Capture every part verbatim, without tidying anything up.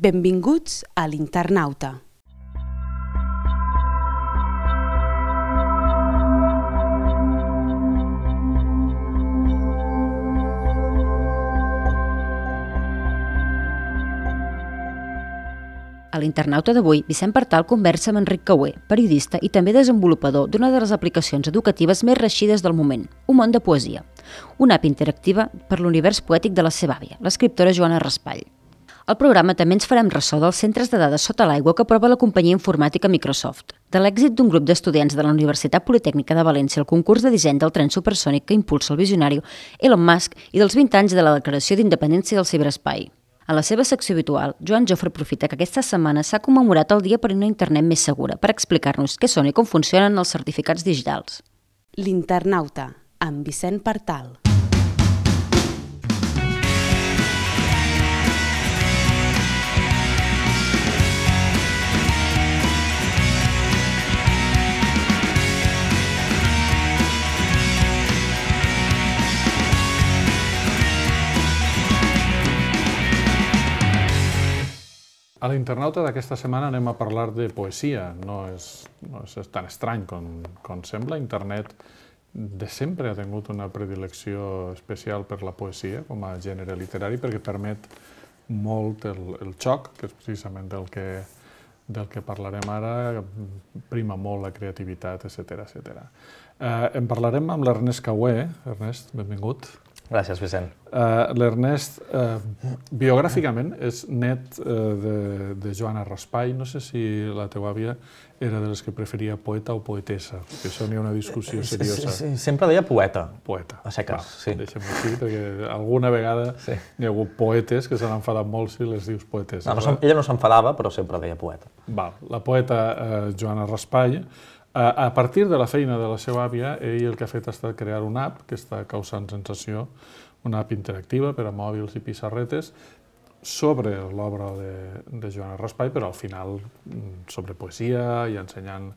Benvinguts a l'Internauta. A l'Internauta d'avui, Vicent Partal conversa amb Enric Cauer, periodista i també desenvolupador d'una de les aplicacions educatives més reeixides del moment, Un món de poesia, una app interactiva per l'univers poètic de la seva àvia, l'escriptora Joana Raspall. Al programa també ens farem ressò dels centres de dades sota l'aigua que aprova la companyia informàtica Microsoft, de l'èxit d'un grup d'estudiants de la Universitat Politècnica de València al concurs de disseny del tren supersònic que impulsa el visionari Elon Musk i dels vint anys de la Declaració d'Independència del Ciberespai. A la seva secció habitual, Joan Jofre aprofita que aquesta setmana s'ha commemorat el dia per una internet més segura per explicar-nos què són i com funcionen els certificats digitals. L'Internauta, amb Vicent Partal. A l'Internauta d'aquesta setmana anem a parlar de poesia. No és, no és tan estrany com, com sembla. Internet de sempre ha tingut una predilecció especial per la poesia com a gènere literari perquè permet molt el, el xoc, que és precisament del que, del que parlarem ara, prima molt la creativitat, etcètera, etcètera. Eh, en parlarem amb l'Ernest Cauer. Ernest, benvingut. Gràcies, Vicent. Uh, L'Ernest, uh, biogràficament, és net uh, de, de Joana Raspall. No sé si la teva àvia era de les que preferia poeta o poetessa, perquè això n'hi ha una discussió seriosa. Sí, sí, sempre deia poeta. Poeta. A seques, Va, sí. Deixem-ho així, perquè alguna vegada sí. N'hi ha hagut poetes que s'han enfadat molt si les dius poetesses. No, no, ella no s'enfadava, però sempre deia poeta. Val. La poeta uh, Joana Raspall, a partir de la feina de la seva àvia, ell el que ha fet ha estat crear una app que està causant sensació, una app interactiva per a mòbils i pissarretes sobre l'obra de, de Joana Raspall, però al final sobre poesia i ensenyant,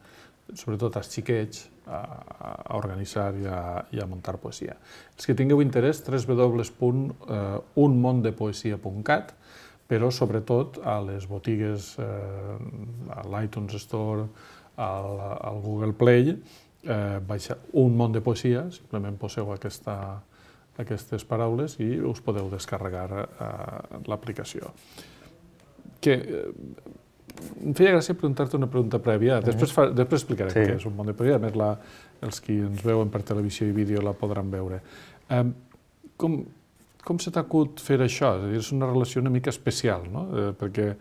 sobretot als xiquets, a, a organitzar i a, i a muntar poesia. Els que tingueu interès, w w w punt un món de poesia punt cat, però sobretot a les botigues, eh, a l'iTunes Store, al, al Google Play, eh, baixa Un món de poesia, simplement poseu aquesta, aquestes paraules i us podeu descarregar eh, l'aplicació. Que, eh, em feia gràcia preguntar-te una pregunta prèvia, després, fa, després explicarem sí. Què és Un món de poesia, a més la, els qui ens veuen per televisió i vídeo la podran veure. Eh, com, com se t'ha acut fer això? És a dir, és una relació una mica especial, no? Eh, perquè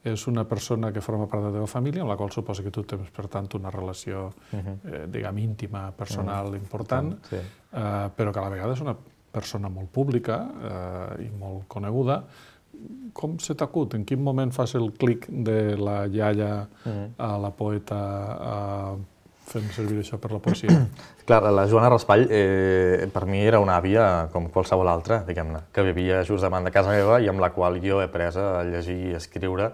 és una persona que forma part de la teva família, amb la qual suposa que tu tens, per tant, una relació, eh, diguem, íntima, personal, uh-huh. important, sí. eh, però que a la vegada és una persona molt pública eh, i molt coneguda. Com se t'acut? En quin moment fas el clic de la iaia uh-huh. a la poeta a fent servir això per la poesia? Clar, la Joana Raspall eh, per mi era una àvia com qualsevol altra, diguem-ne, que vivia just davant de casa meva i amb la qual jo he après a llegir i a escriure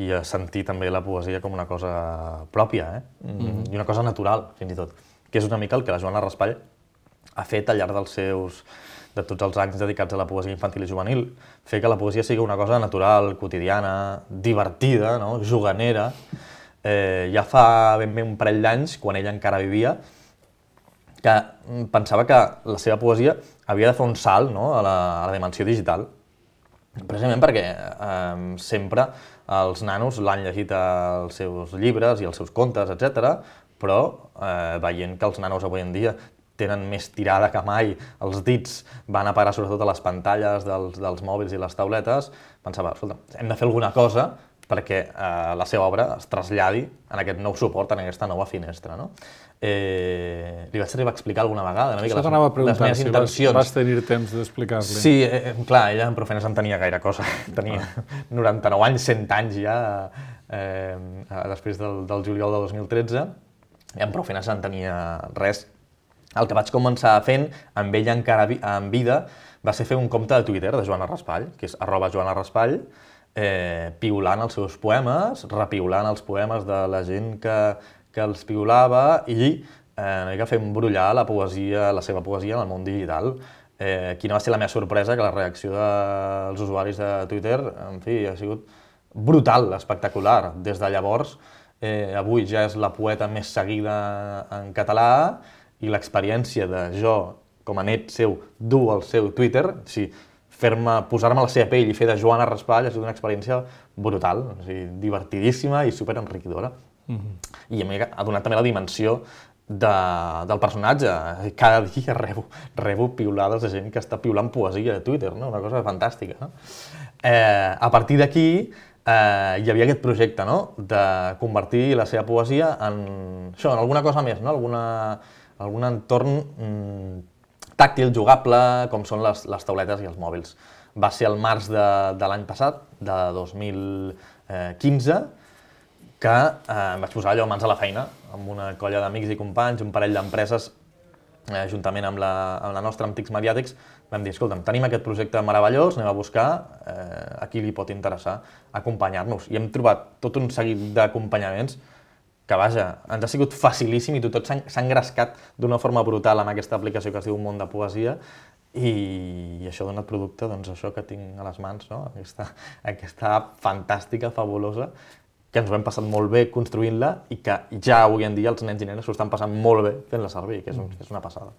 i a sentir també la poesia com una cosa pròpia, eh? Mm-hmm. I una cosa natural, fins i tot, que és una mica el que la Joana Raspall ha fet al llarg dels seus, de tots els anys dedicats a la poesia infantil i juvenil, fer que la poesia sigui una cosa natural, quotidiana, divertida, no? Juganera. Eh, ja fa ben bé un parell d'anys, quan ella encara vivia, que pensava que la seva poesia havia de fer un salt, no? a, la, a la dimensió digital. Precisament perquè eh, sempre els nanos l'han llegit als seus llibres i als seus contes, etcètera, però eh, veient que els nanos avui en dia tenen més tirada que mai, els dits van a parar sobretot a les pantalles dels, dels mòbils i les tauletes, pensava, escolta, hem de fer alguna cosa perquè eh, la seva obra es traslladi en aquest nou suport, en aquesta nova finestra. No? Eh, li vaig arribar a explicar alguna vegada una mica les, les meves si intencions. Vas, vas tenir temps d'explicar-li. Sí, eh, clar, ella en Profanes en tenia gaire cosa. Tenia ah. noranta-nou anys, cent anys ja, eh, després del, del juliol de dos mil tretze, i en Profanes en tenia res. El que vaig començar fent, amb ella encara en vida, va ser fer un compte de Twitter de Joana Raspall, que és arroba Joana Raspall, eh, piulant els seus poemes, repiulant els poemes de la gent que, que els piulava i eh, que fent brollar la poesia, la seva poesia en el món digital. Eh, quina va ser la meva sorpresa, que la reacció dels usuaris de Twitter, en fi, ha sigut brutal, espectacular. Des de llavors, eh, avui ja és la poeta més seguida en català i l'experiència de jo, com a net seu, dur el seu Twitter, o sigui, fer-me, posar-me a la seva pell i fer de Joana Raspall ha sigut una experiència brutal, o sigui, divertidíssima i superenriquidora. Mm-hmm. I a mi ha donat també la dimensió de, del personatge. Cada dia rebo, rebo piulades de gent que està piulant poesia a Twitter, no? Una cosa fantàstica. No? Eh, a partir d'aquí eh, hi havia aquest projecte, no? De convertir la seva poesia en, això, en alguna cosa més, no? Alguna, algun entorn mm, tàctil, jugable, com són les, les tauletes i els mòbils. Va ser el març de, de l'any passat, de dos mil quinze, que eh, em vaig posar allò mans a la feina, amb una colla d'amics i companys, un parell d'empreses, eh, juntament amb la, amb la nostra Antics Mediàtics, vam dir, escolta'm, tenim aquest projecte meravellós, anem a buscar eh, a qui li pot interessar acompanyar-nos. I hem trobat tot un seguit d'acompanyaments que, vaja, ens ha sigut facilíssim i tot s'ha engrescat d'una forma brutal amb aquesta aplicació que es diu Món de Poesia i, i això ha donat producte, doncs això que tinc a les mans, no? Aquesta, aquesta app fantàstica, fabulosa, que ens ho hem passat molt bé construint-la i que ja avui en dia els nens i nenes s'ho estan passant molt bé fent-la servir, que és, un, és una passada.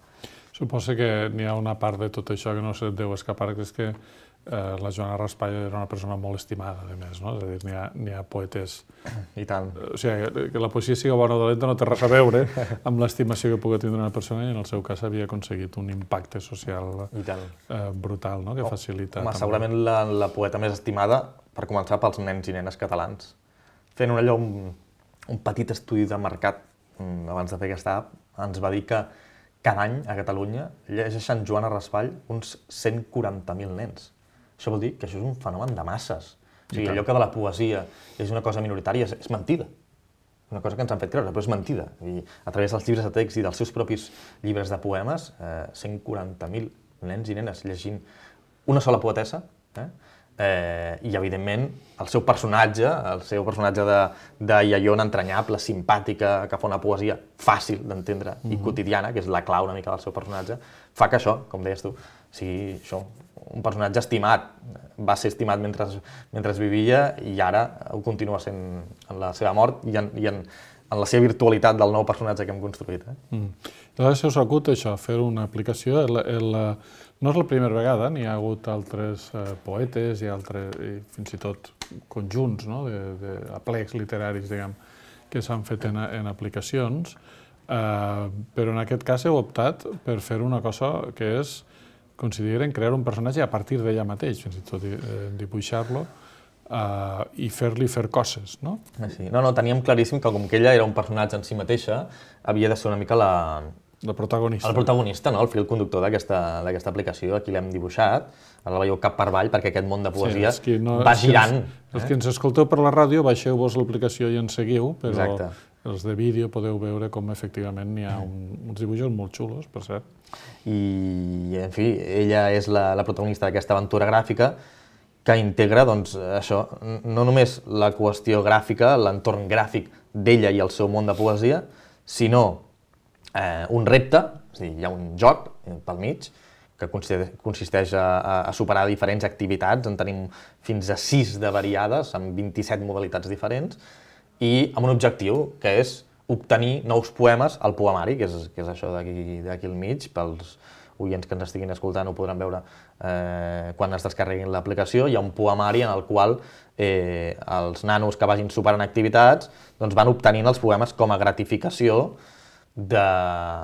Suposo que n'hi ha una part de tot això que no se't deu escapar, que és que eh, la Joana Raspall era una persona molt estimada, a més, no? És a dir, n'hi ha, n'hi ha poetes... I tant. O sigui, que la poesia sigui bona o dolenta no té res a veure amb l'estimació que pugui tindre una persona i en el seu cas havia aconseguit un impacte social eh, brutal, no? Que facilita... Home, segurament la, la poeta més estimada, per començar, pels nens i nenes catalans. Fent un, allò, un, un petit estudi de mercat abans de fer aquesta app, ens va dir que cada any a Catalunya llegeixen Joana Raspall uns cent quaranta mil nens. Això vol dir que això és un fenomen de masses. O sigui, allò que de la poesia és una cosa minoritària és, és mentida. Una cosa que ens han fet creure, però és mentida. I a través dels llibres de text i dels seus propis llibres de poemes, eh, cent quaranta mil nens i nenes llegint una sola poetessa, eh? Eh, i evidentment el seu personatge, el seu personatge de, de iaiona entranyable, simpàtica, que fa una poesia fàcil d'entendre mm-hmm. i quotidiana, que és la clau una mica del seu personatge, fa que això, com deies tu, sigui això, un personatge estimat, va ser estimat mentre, mentre vivia i ara ho continua sent en la seva mort i en, i en, en la seva virtualitat del nou personatge que hem construït. Eh? Mm. Llavors, se us acut això, fer una aplicació, el, el, no és la primera vegada, n'hi ha hagut altres eh, poetes i, altres, i fins i tot conjunts, no? de, de aplecs literaris, diguem, que s'han fet en, en aplicacions, eh, però en aquest cas heu optat per fer una cosa que és, consideren crear un personatge a partir d'ella mateix, fins i tot eh, dibuixar-lo, Uh, i fer-li fer coses, no? Sí. No, no, teníem claríssim que com que ella era un personatge en si mateixa, havia de ser una mica la... La protagonista. El protagonista, no? El fil conductor d'aquesta aplicació, aquí l'hem dibuixat, ara la veieu cap per avall perquè aquest món de poesia sí, no, va girant. Els, eh? els que ens escolteu per la ràdio, baixeu-vos l'aplicació i ens seguiu, però Exacte. Els de vídeo podeu veure com efectivament n'hi ha un, uns dibuixos molt xulos, per cert. I, en fi, ella és la, la protagonista d'aquesta aventura gràfica que integra, doncs, això, no només la qüestió gràfica, l'entorn gràfic d'ella i el seu món de poesia, sinó eh, un repte, és a dir, hi ha un joc pel mig, que consisteix a, a superar diferents activitats, en tenim fins a sis de variades, amb vint-i-set modalitats diferents, i amb un objectiu, que és obtenir nous poemes al poemari, que és, que és això d'aquí al mig, pels oients que ens estiguin escoltant ho podran veure eh, quan es descarreguin l'aplicació. Hi ha un poemari en el qual eh, els nanos que vagin superant activitats doncs van obtenint els poemes com a gratificació de,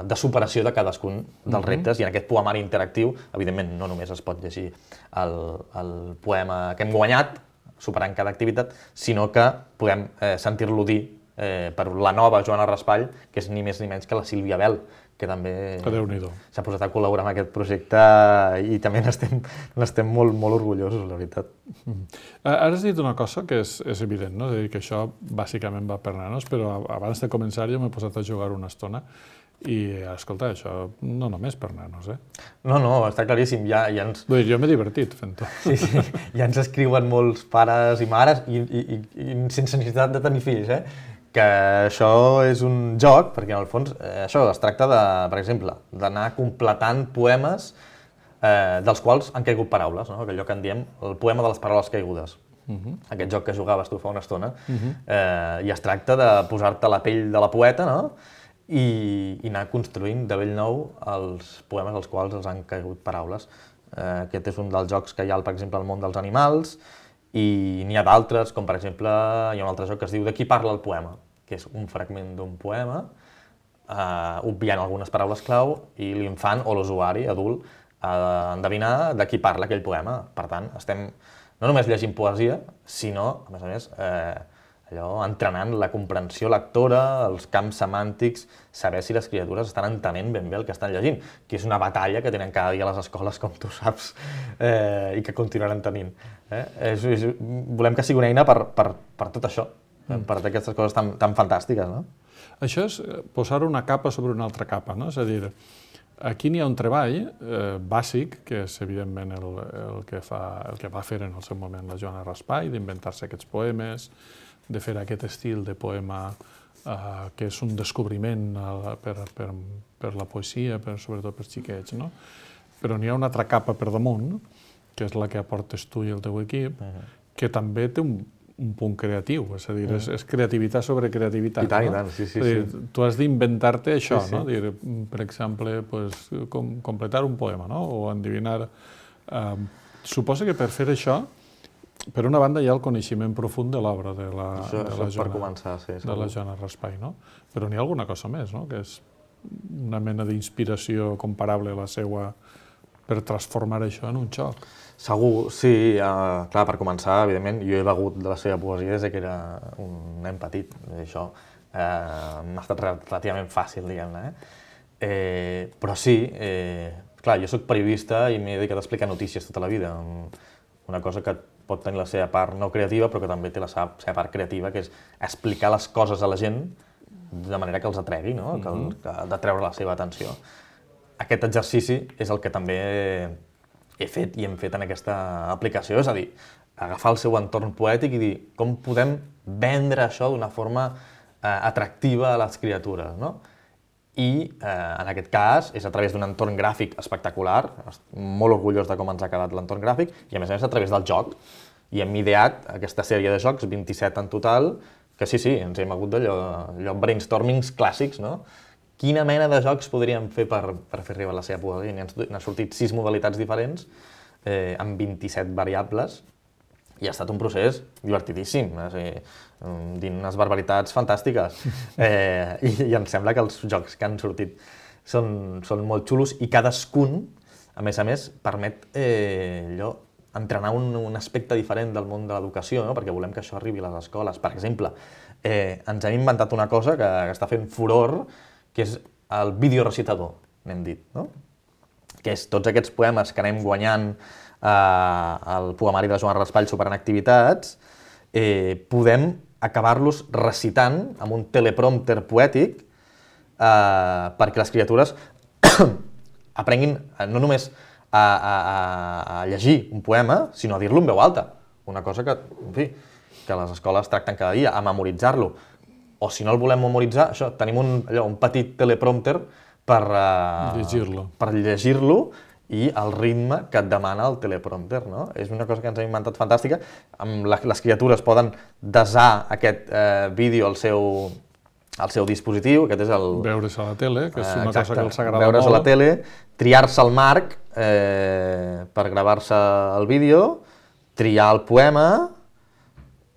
de superació de cadascun dels reptes. Mm-hmm. I en aquest poemari interactiu, evidentment, no només es pot llegir el, el poema que hem guanyat, superant cada activitat, sinó que podem eh, sentir-lo dir eh, per la nova Joana Raspall, que és ni més ni menys que la Sílvia Bel, que també s'ha posat a col·laborar amb aquest projecte i també n'estem molt, molt orgullosos, la veritat. Mm-hmm. Ara has dit una cosa que és, és evident, no? És a dir, que això bàsicament va per nanos, però abans de començar jo m'he posat a jugar una estona i, escolta, això no només per nanos, eh? No, no, està claríssim, ja, ja ens... Vull dir, jo m'he divertit fent-ho. Sí, sí, ja ens escriuen molts pares i mares i, i, i, i sense necessitat de tenir fills, eh? Que això és un joc, perquè en el fons eh, això es tracta, de, per exemple, d'anar completant poemes eh, dels quals han caigut paraules, no? Allò que en diem el poema de les paraules caigudes. aquest joc que jugaves tu fa una estona, i es tracta de posar-te la pell de la poeta, no? I anar construint de bell nou els poemes als quals els han caigut paraules. Aquest és un dels jocs que hi ha, per exemple, al món dels animals, i n'hi ha d'altres, com per exemple, hi ha un altre joc que es diu De qui parla el poema, que és un fragment d'un poema, obviant algunes paraules clau, i l'infant o l'usuari adult ha d'endevinar de qui parla aquell poema. Per tant, estem no només llegint poesia, sinó, a més a més, allò entrenant la comprensió lectora, els camps semàntics, saber si les criatures estan entenent ben bé el que estan llegint, que és una batalla que tenen cada dia a les escoles, com tu saps, i que continuaran tenint. Volem que sigui una eina per tot això, per aquestes coses tan fantàstiques, no? Això és posar una capa sobre una altra capa, no? És a dir, aquí n'hi ha un treball bàsic, que és evidentment el que va fer en el seu moment la Joana Raspall, d'inventar-se aquests poemes, de fer aquest estil de poema que és un descobriment per la poesia, sobretot per xiquets, no? Però n'hi ha una altra capa per damunt, que és la que aportes tu i el teu equip, que també té un un punt creatiu, és a dir, és creativitat sobre creativitat. I tant, i tant, sí, sí. Tu has d'inventar-te això, no? Per exemple, completar un poema, no? O endevinar... Suposa que per fer això, per una banda hi ha el coneixement profund de l'obra de la Joana Raspall, no? Però n'hi ha alguna cosa més, no? Que és una mena d'inspiració comparable a la seva per transformar això en un joc. Segur, sí. Clar, per començar, evidentment, jo he begut de la seva poesia des que era un nen petit. Això m'ha estat relativament fàcil, diguem-ne. Però sí, clar, jo soc periodista i m'he dedicat a explicar notícies tota la vida. Una cosa que pot tenir la seva part no creativa, però que també té la seva part creativa, que és explicar les coses a la gent de manera que els atregui, no? Que ha de treure la seva atenció. Aquest exercici és el que també he fet i hem fet en aquesta aplicació, és a dir, agafar el seu entorn poètic i dir com podem vendre això d'una forma atractiva a les criatures, no? I en aquest cas és a través d'un entorn gràfic espectacular, molt orgullós de com ens ha quedat l'entorn gràfic, i a més a més a través del joc. I hem ideat aquesta sèrie de jocs, vint-i-set en total, que sí, sí, ens hem hagut d'allò brainstormings clàssics, no? Quina mena de jocs podríem fer per fer arribar la seva poesia? N'han sortit sis modalitats diferents, amb vint-i-set variables, i ha estat un procés divertidíssim, dient unes barbaritats fantàstiques. I em sembla que els jocs que han sortit són molt xulos i cadascun, a més a més, permet entrenar un aspecte diferent del món de l'educació, perquè volem que això arribi a les escoles. Per exemple, ens hem inventat una cosa que està fent furor, que és el videorecitador, n'hem dit, no? Que és tots aquests poemes que anem guanyant al poemari de Joana Raspall superant activitats, podem acabar-los recitant amb un teleprompter poètic perquè les criatures aprenguin no només a llegir un poema, sinó a dir-lo en veu alta. Una cosa que, en fi, que les escoles tracten cada dia, a memoritzar-lo. O si no el volem memoritzar, això, tenim un petit teleprompter per llegir-lo i el ritme que et demana el teleprompter, no? És una cosa que ens hem inventat fantàstica. Les criatures poden desar aquest vídeo al seu dispositiu, aquest és el... Veure's a la tele, que és una cosa que els agrada molt. Veure's a la tele, triar-se el marc per gravar-se el vídeo, triar el poema,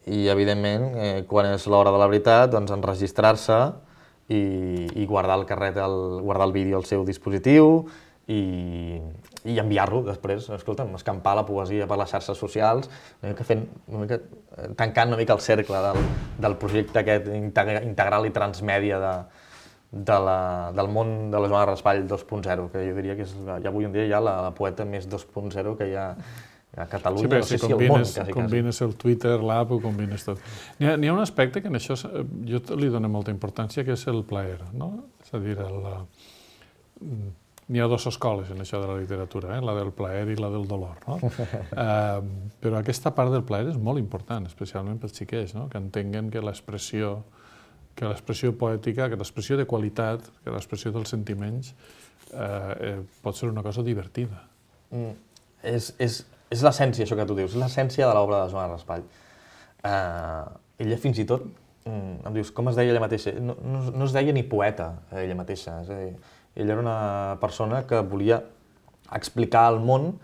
i, evidentment, quan és l'hora de la veritat, doncs enregistrar-se i guardar el carret, guardar el vídeo al seu dispositiu i enviar-lo després, escolta'm, escampar la poesia per les xarxes socials, tancant una mica el cercle del projecte aquest integral i transmèdia del món de la Joana Raspall dos punt zero, que jo diria que és avui en dia ja la poeta més dos punt zero que hi ha a Catalunya, no sé si al món, quasi, quasi. Combines el Twitter, l'app, ho combines tot. N'hi ha un aspecte que en això jo li dono molta importància, que és el plaer, no? És a dir, n'hi ha dues escoles en això de la literatura, la del plaer i la del dolor, no? Però aquesta part del plaer és molt important, especialment pels xiquets, que entenguen que l'expressió que l'expressió poètica, que l'expressió de qualitat, que l'expressió dels sentiments pot ser una cosa divertida. És és l'essència, això que tu dius, és l'essència de l'obra de Joana Raspall. Uh, ella fins i tot, um, em dius, com es deia ella mateixa? No, no, no es deia ni poeta, ella mateixa. És a dir, ella era una persona que volia explicar al món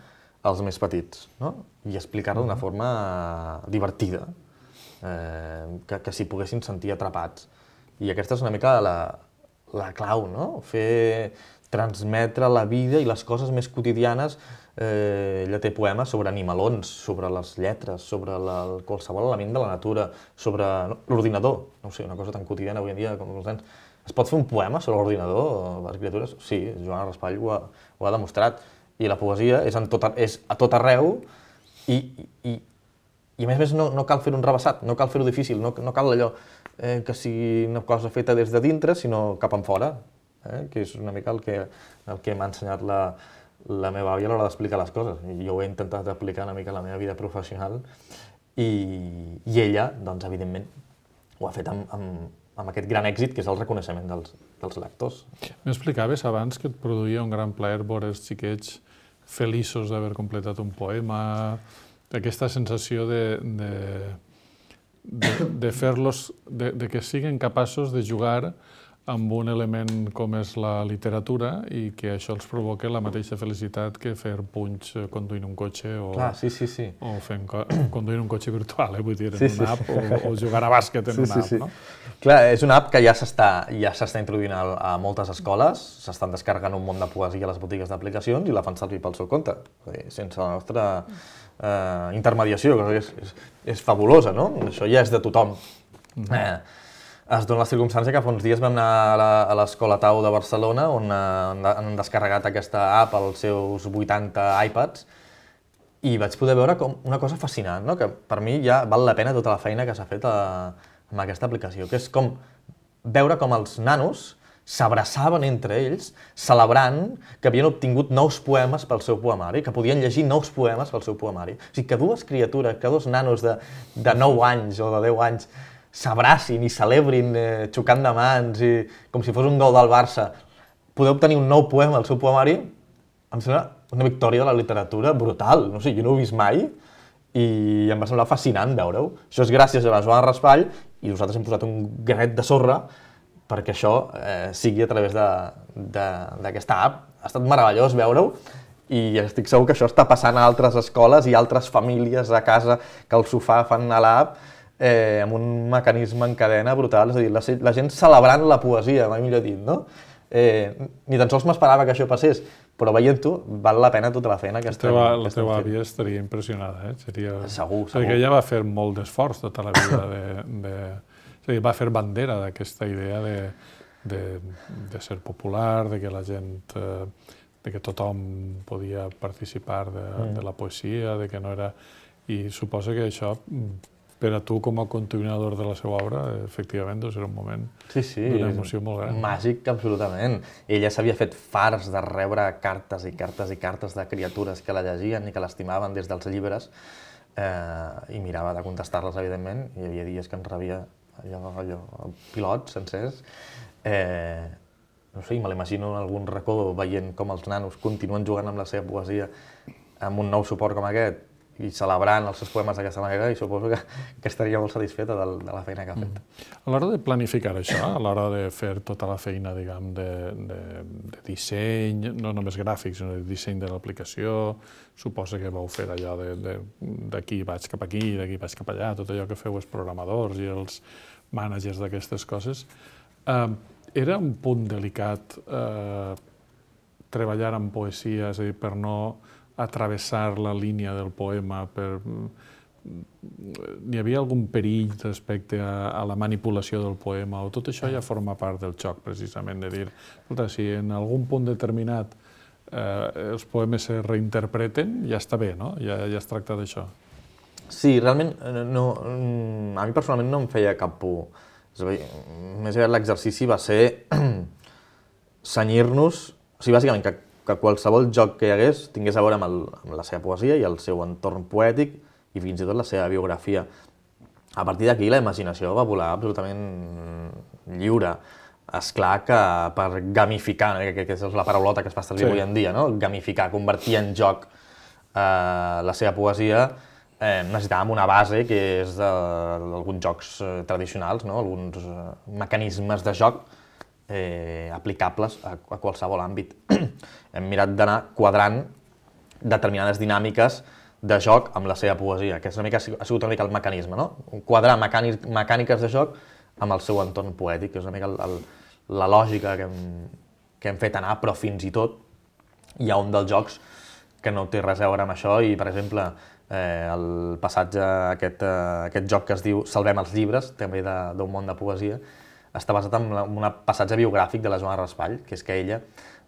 als més petits, no? I explicar-lo d'una forma divertida, eh, que, que s'hi poguessin sentir atrapats. I aquesta és una mica la, la clau, no? Fer, transmetre la vida i les coses més quotidianes. Eh, ella té poemes sobre animalons, sobre les lletres, sobre la, qualsevol element de la natura, sobre no, l'ordinador. No sé, una cosa tan quotidiana avui en dia com els nens. Es pot fer un poema sobre l'ordinador, les criatures? Sí, Joana Raspall ho ha, ho ha demostrat. I la poesia és, en tot, és a tot arreu i, i, i a més a més no, no cal fer un rebassat, no cal fer-ho difícil, no, no cal allò eh, que sigui una cosa feta des de dintre, sinó cap en fora, eh, que és una mica el que, el que m'ha ensenyat la, la meva àvia a l'hora d'explicar les coses. I jo ho he intentat aplicar una mica a la meva vida professional i, i ella, doncs, evidentment, ho ha fet amb, amb, amb aquest gran èxit que és el reconeixement dels, dels lectors. M'explicaves abans que et produïa un gran plaer veure els xiquets feliços d'haver completat un poema, aquesta sensació de, de, de, de fer-los, de, de que siguin capaços de jugar amb un element com és la literatura i que això els provoca la mateixa felicitat que fer punys conduint un cotxe o, Clar, sí, sí, sí. o fent, conduint un cotxe virtual, eh? Vull dir, en sí, una sí. app o, o jugar a bàsquet en sí, una sí, app, sí. no? Clar, és una app que ja s'està ja s'està introduint a, a moltes escoles, s'estan descarregant un munt de poesia a les botigues d'aplicacions i la fan servir pel seu compte, sense la nostra eh, intermediació, que és, és, és fabulosa, no? Això ja és de tothom. Mm-hmm. eh, es dona la circumstància que fa uns dies vam anar a l'Escola Tau de Barcelona on eh, han descarregat aquesta app als seus vuitanta iPads i vaig poder veure com una cosa fascinant, no? Que per mi ja val la pena tota la feina que s'ha fet a, amb aquesta aplicació, que és com veure com els nanos s'abraçaven entre ells, celebrant que havien obtingut nous poemes pel seu poemari, que podien llegir nous poemes pel seu poemari. O sigui, que dues criatures, que dos nanos de, de nou anys o de deu anys s'abracin i celebrin eh, xocant de mans i com si fos un gol del Barça, poder obtenir un nou poema al seu poemari, em sembla una victòria de la literatura brutal. No sé, jo no ho he vist mai i em va semblar fascinant veure-ho. Això és gràcies a la Joana Raspall i nosaltres hem posat un granet de sorra perquè això eh, sigui a través d'aquesta app. Ha estat meravellós veure-ho i estic segur que això està passant a altres escoles i altres famílies a casa que al sofà fan a l'app eh, amb un mecanisme en cadena brutal. És a dir, la, la gent celebrant la poesia, mai millor dit, no? Eh, ni tan sols m'esperava que això passés, però veient-ho val la pena tota la feina que estem fent. La teva àvia estaria impressionada, eh? Seria... Segur, segur. Perquè ella va fer molt d'esforç tota la vida de... de... És a dir, va fer bandera d'aquesta idea de, de, de ser popular, de que la gent... Eh, de que tothom podia participar de, mm. de la poesia, de que no era... I suposo que això, per a tu com a continuador de la seva obra, efectivament, deu ser un moment sí, sí, d'una emoció molt gran. Màgic, absolutament. Ella s'havia fet farts de rebre cartes i cartes i cartes de criatures que la llegien i que l'estimaven des dels llibres eh, i mirava de contestar-les, evidentment. Hi havia dies que en rebia allò, allò, pilots sencers. Eh, no sé, me l'imagino en algun racó veient com els nanos continuen jugant amb la seva poesia amb un nou suport com aquest i celebrant els seus poemes d'aquesta manera, i suposo que, que estaria molt satisfeta de, de la feina que ha fet. Mm. A l'hora de planificar això, a l'hora de fer tota la feina, diguem, de, de, de disseny, no només gràfic, sinó de disseny de l'aplicació, suposa que vau fer allò d'aquí vaig cap aquí, d'aquí vaig cap allà, tot allò que feu els programadors i els mànagers d'aquestes coses. Eh, era un punt delicat eh, treballar en poesia, és a dir, per no atravessar la línia del poema, per... Hi havia algun perill respecte a, a la manipulació del poema, o tot això ja forma part del joc, precisament, de dir, escolta, si en algun punt determinat eh, els poemes se reinterpreten, ja està bé, no? Ja, ja es tracta d'això. Sí, realment, no, a mi personalment no em feia cap por. És a dir, més aviat l'exercici va ser cenyir-nos, o sigui, bàsicament, que que qualsevol joc que hi hagués tingués a veure amb, el, amb la seva poesia i el seu entorn poètic i fins i tot la seva biografia. A partir d'aquí la imaginació va volar absolutament lliure. És clar que per gamificar, que, que és la paraulota que es fa servir sí. avui en dia, no? Gamificar, convertir en joc la seva poesia, necessitàvem una base que és d'alguns jocs tradicionals, alguns mecanismes de joc aplicables a qualsevol àmbit. Hem mirat d'anar quadrant determinades dinàmiques de joc amb la seva poesia, que ha sigut una mica el mecanisme, no? Quadrar mecàniques de joc amb el seu entorn poètic, que és una mica la lògica que hem fet anar, però fins i tot hi ha un dels jocs que no té res a veure amb això i, per exemple, el passatge, aquest joc que es diu Salvem els llibres, també d'un món de poesia, està basat en un passatge biogràfic de la Joana Raspall, que és que ella,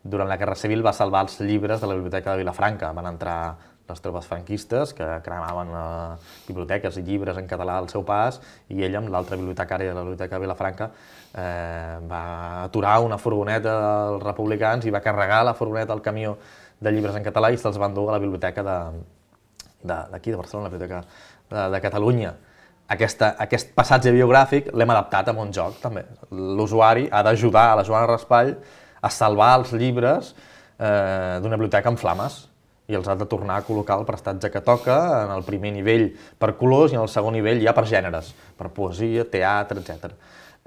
durant la Guerra Civil, va salvar els llibres de la Biblioteca de Vilafranca. Van entrar les tropes franquistes, que cremaven biblioteques i llibres en català al seu pas, i ella, amb l'altra bibliotecària de la Biblioteca de Vilafranca, va aturar una furgoneta dels republicans i va carregar la furgoneta al camió de llibres en català i se'ls va endur a la biblioteca d'aquí, de Barcelona, la Biblioteca de Catalunya. Aquest passatge biogràfic l'hem adaptat a un joc, també. L'usuari ha d'ajudar a la Joana Raspall a salvar els llibres d'una biblioteca en flames i els ha de tornar a col·locar al prestatge que toca, en el primer nivell per colors i en el segon nivell ja per gèneres, per poesia, teatre, etcètera.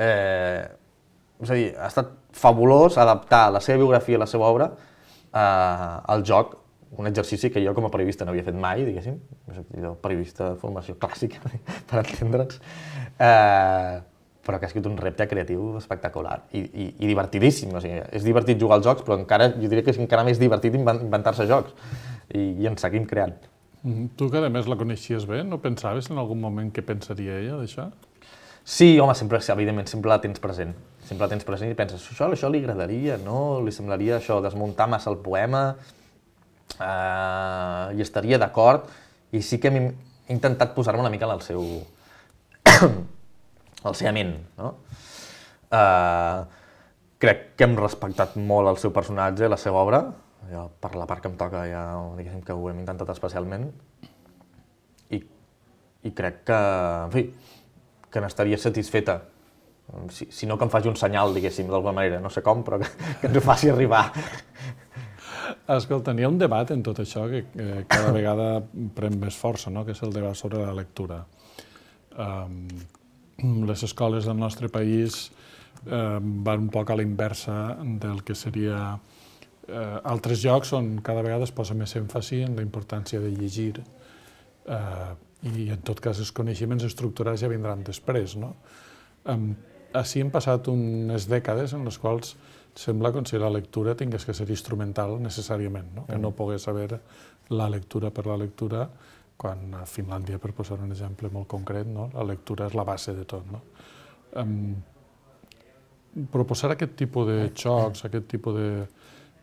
És a dir, ha estat fabulós adaptar la seva biografia i la seva obra al joc, un exercici que jo com a periodista no havia fet mai, diguéssim, jo periodista de formació clàssica, per entendre'ns, però que ha escrit un repte creatiu espectacular i divertidíssim. És divertit jugar als jocs, però encara, jo diria que és encara més divertit inventar-se jocs i en seguim creant. Tu, que a més la coneixies bé, no pensaves en algun moment què pensaria ella d'això? Sí, home, sempre, evidentment, sempre la tens present. Sempre la tens present i penses, això, això li agradaria, no? Li semblaria això, desmuntar massa el poema, hi estaria d'acord, i sí que hem intentat posar-me una mica en el seu... el seu ment, no? Crec que hem respectat molt el seu personatge, la seva obra, per la part que em toca ja, diguéssim que ho hem intentat especialment, i crec que, en fi, que n'estaria satisfeta, si no que em faci un senyal, diguéssim, d'alguna manera, no sé com, però que ens ho faci arribar. Escolta, hi ha un debat en tot això que cada vegada pren més força, que és el debat sobre la lectura. Les escoles del nostre país van un poc a la inversa del que seria altres llocs on cada vegada es posa més èmfasi en la importància de llegir i, en tot cas, els coneixements estructurats ja vindran després. Així hem passat unes dècades en les quals sembla com si la lectura tingués que ser instrumental necessàriament, que no pogués haver la lectura per la lectura, quan a Finlàndia, per posar un exemple molt concret, la lectura és la base de tot. Proposar aquest tipus de xocs, aquest tipus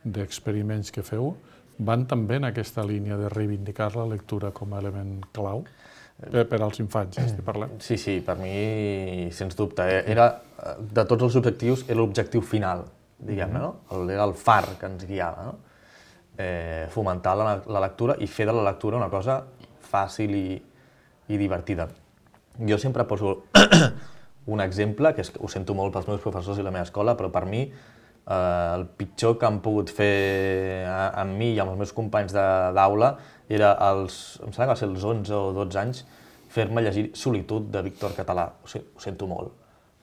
d'experiments que feu, van també en aquesta línia de reivindicar la lectura com a element clau per als infants, ja estic parlant. Sí, sí, per mi, sens dubte. De tots els objectius, era l'objectiu final, diguem-ne, no? Era el far que ens guiava, no? Fomentar la lectura i fer de la lectura una cosa fàcil i divertida. Jo sempre poso un exemple, que ho sento molt pels meus professors i la meva escola, però per mi el pitjor que han pogut fer amb mi i amb els meus companys d'aula era, em sembla que va ser els onze o dotze anys, fer-me llegir Solitud de Víctor Català. Ho sento molt,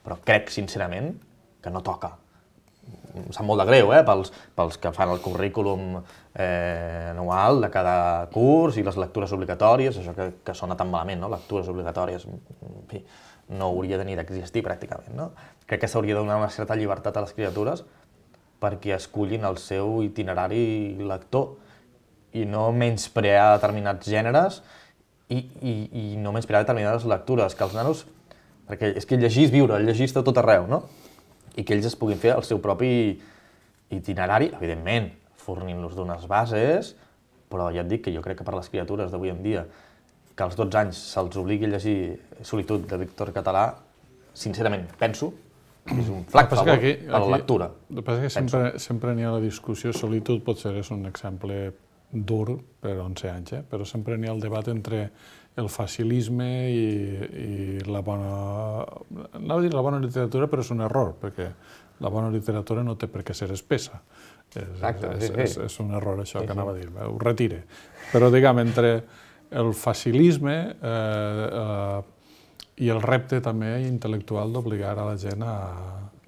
però crec sincerament que no toca. Em sap molt de greu, pels que fan el currículum anual de cada curs i les lectures obligatòries, això que sona tan malament, lectures obligatòries, en fi, no hauria de ni d'existir pràcticament. Crec que s'hauria de donar una certa llibertat a les criatures perquè escullin el seu itinerari lector i no menysprear determinats gèneres i no menysprear determinades lectures, que els nanos, perquè és que llegir és viure, llegir està tot arreu, no? I que ells es puguin fer el seu propi itinerari, evidentment, fornint-los d'unes bases, però ja et dic que jo crec que per les criatures d'avui en dia, que als dotze anys se'ls obligui a llegir Solitud de Víctor Català, sincerament, penso que és un flac favor a la lectura. El que passa és que sempre n'hi ha la discussió, Solitud potser és un exemple dur per onze anys, però sempre n'hi ha el debat entre el facilisme i la bona anava a dir la bona literatura, però és un error, perquè la bona literatura no té per què ser espessa. És, Exacte, és, sí, sí. és, és un error això Sí, que sí. anava a dir, ho retire. Però, diguem, entre el facilisme eh, eh, i el repte també intel·lectual d'obligar a la gent a...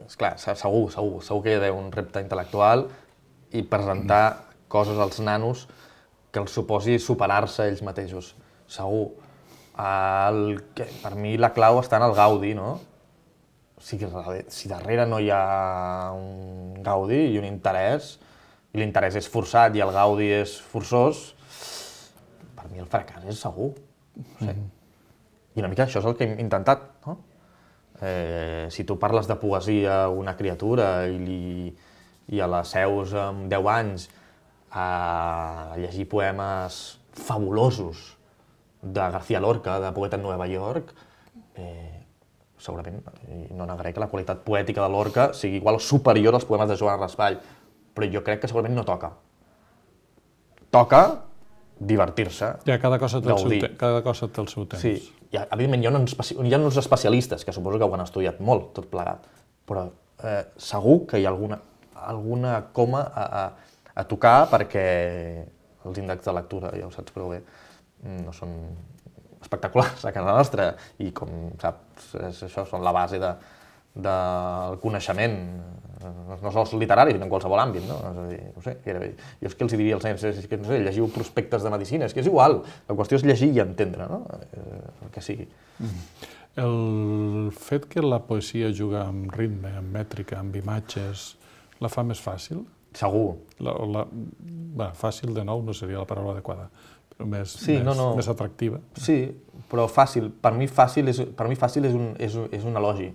Esclar, segur, segur, segur que hi ha d'haver un repte intel·lectual i presentar coses als nanos que els suposi superar-se ells mateixos, segur. El, que, per mi la clau està en el gaudi, no? O sigui, si darrere no hi ha un gaudi i un interès, i l'interès és forçat i el gaudi és forçós, per mi el fracàs és segur. No sé. I una mica això és el que hem intentat, no? Eh, si tu parles de poesia a una criatura i, li, i a la seus amb deu anys a llegir poemes fabulosos de García Lorca, de poeta en Nova York, eh, segurament, no negaré que la qualitat poètica de Lorca sigui igual o superior als poemes de Joan Raspall, però jo crec que segurament no toca. Toca divertir-se, Ja, cada cosa té el seu, gaudir. te cada cosa té el seu temps. Sí, i evidentment hi ha, uns, hi ha uns especialistes que suposo que ho han estudiat molt, tot plegat, però eh, segur que hi ha alguna, alguna coma a, a, a tocar perquè els índexs de lectura, ja ho saps prou bé, no són espectaculars a casa nostra i com saps, és, això són la base de, del coneixement, no sols literari, sinó en qualsevol àmbit, no? És a dir, no sé, gairebé. Jo és que els diria als nens, és que, no sé, llegiu prospectes de medicina, és que és igual, la qüestió és llegir i entendre, no? El que sigui. El fet que la poesia juga amb ritme, amb mètrica, amb imatges, la fa més fàcil? Segur. La, la, bé, fàcil, de nou, no seria la paraula adequada, però més, Sí, més, no, no. més atractiva. Sí, però fàcil. Per mi fàcil és, per mi fàcil és, un, és, un, és un elogi.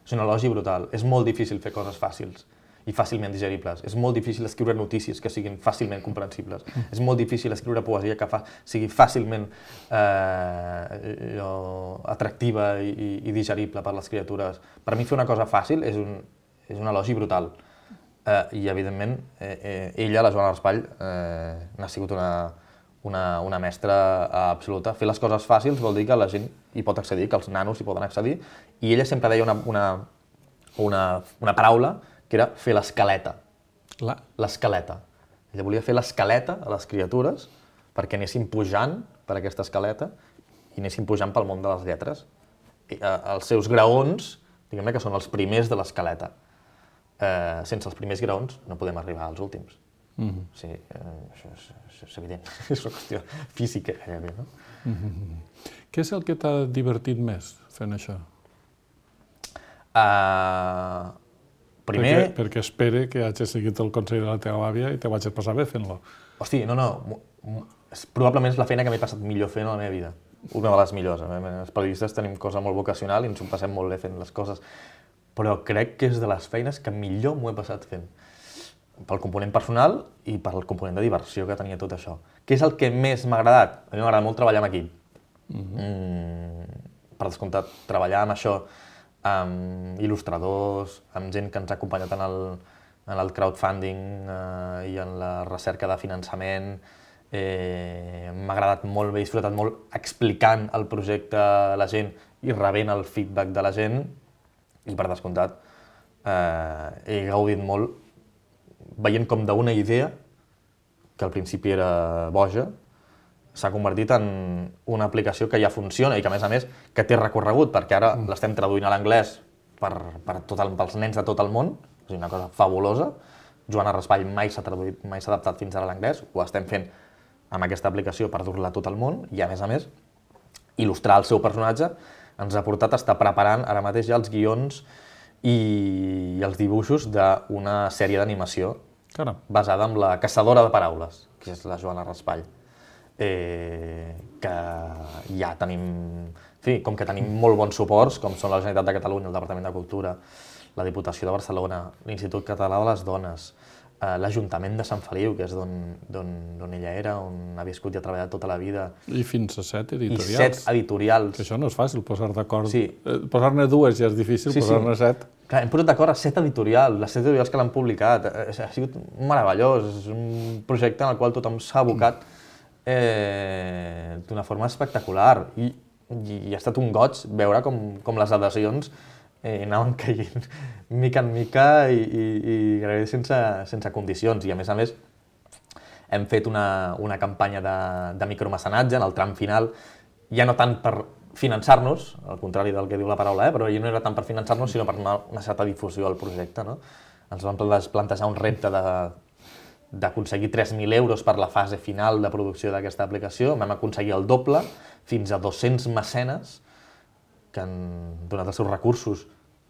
És un elogi brutal. És molt difícil fer coses fàcils i fàcilment digeribles. És molt difícil escriure notícies que siguin fàcilment comprensibles. Mm. És molt difícil escriure poesia que fa, sigui fàcilment eh, jo, atractiva i, i digerible per les criatures. Per mi fer una cosa fàcil és un, és un elogi brutal. Eh, I, evidentment, eh, eh, ella, la Joana Raspall, eh, n'ha sigut una, una, una mestra absoluta. Fer les coses fàcils vol dir que la gent hi pot accedir, que els nanos hi poden accedir, i ella sempre deia una, una, una, una paraula que era fer l'escaleta. La... L'escaleta. Ella volia fer l'escaleta a les criatures perquè anessin pujant per aquesta escaleta i anessin pujant pel món de les lletres. I, eh, els seus graons, diguem-ne que són els primers de l'escaleta. Eh, sense els primers graons no podem arribar als últims. Mm-hmm. Sí, eh, això, és, això és evident, és una qüestió física gairebé, no? Mm-hmm. Què és el que t'ha divertit més fent això? Uh, primer... Perquè, perquè espere que hagis seguit el consell de la teva àvia i te vagis passar bé fent-lo. Hosti, no, no, és, probablement és la feina que m'he passat millor fent a la meva vida. Una de les millors. Els periodistes tenim cosa molt vocacional i ens ho passem molt bé fent les coses, però crec que és de les feines que millor m'ho he passat fent. Pel component personal i pel component de diversió que tenia tot això. Què és el que més m'ha agradat? A mi m'agrada molt treballar amb equip. Mm-hmm. mm, per descomptat, treballar amb això, amb il·lustradors, amb gent que ens ha acompanyat en el, en el crowdfunding eh, i en la recerca de finançament. Eh, m'ha agradat molt, m'he disfrutat molt explicant el projecte a la gent i rebent el feedback de la gent. I per descomptat, eh, he gaudit molt veient com d'una idea, que al principi era boja, s'ha convertit en una aplicació que ja funciona i que, a més a més, que té recorregut, perquè ara mm. l'estem traduint a l'anglès per, per tot el, pels nens de tot el món, és una cosa fabulosa. Joana Raspall mai s'ha traduït, mai s'ha adaptat fins ara a l'anglès, ho estem fent amb aquesta aplicació per dur-la a tot el món i, a més a més, il·lustrar el seu personatge ens ha portat a estar preparant ara mateix ja els guions i els dibuixos d'una sèrie d'animació basada en la caçadora de paraules, que és la Joana Raspall. Eh, que ja tenim, en fi, com que tenim molt bons suports, com són la Generalitat de Catalunya, el Departament de Cultura, la Diputació de Barcelona, l'Institut Català de les Dones, eh, l'Ajuntament de Sant Feliu, que és d'on ella era, on ha viscut i ha treballat tota la vida. I fins a set editorials. I set editorials. Que això no és fàcil, posar d'acord. Sí. Eh, posar-ne dues ja és difícil, sí, posar-ne sí. set. Clar, hem posat d'acord a set editorials, les set editorials que l'han publicat. Ha sigut meravellós, és un projecte en el qual tothom s'ha abocat eh, d'una forma espectacular. I i, i ha estat un goig veure com, com les adhesions eh, anaven caient mica en mica i, i, i gairebé sense, sense condicions. I a més a més hem fet una, una campanya de, de micromecenatge en el tram final, ja no tant per finançar-nos, al contrari del que diu la paraula, eh? però ja no era tant per finançar-nos, sinó per donar una certa difusió al projecte. No? Ens vam plantejar un repte de, d'aconseguir tres mil euros per la fase final de producció d'aquesta aplicació. Vam aconseguir el doble, fins a dos-cents mecenes que han donat els seus recursos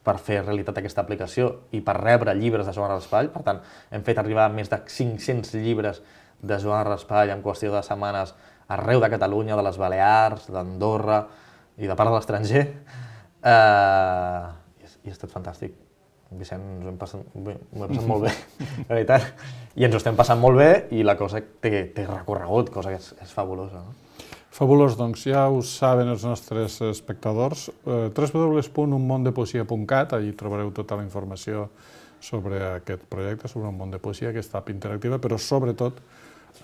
per fer realitat aquesta aplicació i per rebre llibres de Joan Raspall. Per tant, hem fet arribar més de cinc-cents llibres de Joan Raspall en qüestió de setmanes arreu de Catalunya, de les Balears, d'Andorra i de part de l'estranger. Uh, i, I ha estat fantàstic. Vicent, ens ho hem passat, m'ho he passat molt bé, la veritat. I ens ho estem passant molt bé i la cosa té, té recorregut, cosa que és, és fabulosa. No? Fabulós, doncs ja ho saben els nostres espectadors. Eh, w w w punt un món de poesia punt cat, allí trobareu tota la informació sobre aquest projecte, sobre un món de poesia, aquesta app interactiva, però sobretot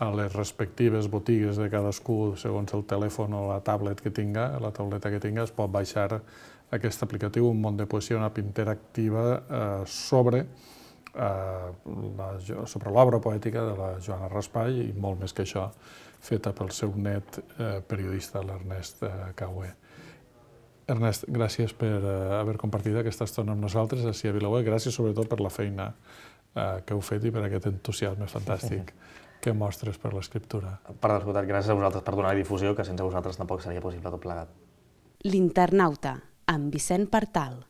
a les respectives botigues de cadascú, segons el telèfon o la tablet que tinga, la tauleta que tinga, es pot baixar aquest aplicatiu, un món de poesia, una app interactiva eh, sobre, eh, la, sobre l'obra poètica de la Joana Raspall i molt més que això, feta pel seu net eh, periodista, l'Ernest eh, Cauer. Ernest, gràcies per eh, haver compartit aquesta estona amb nosaltres així a Vilaweb, gràcies sobretot per la feina eh, que heu fet i per aquest entusiasme fantàstic que mostres per l'escriptura. Per descomptat, gràcies a vosaltres per donar difusió, que sense vosaltres tampoc seria possible tot plegat. L'Internauta, amb Vicent Partal.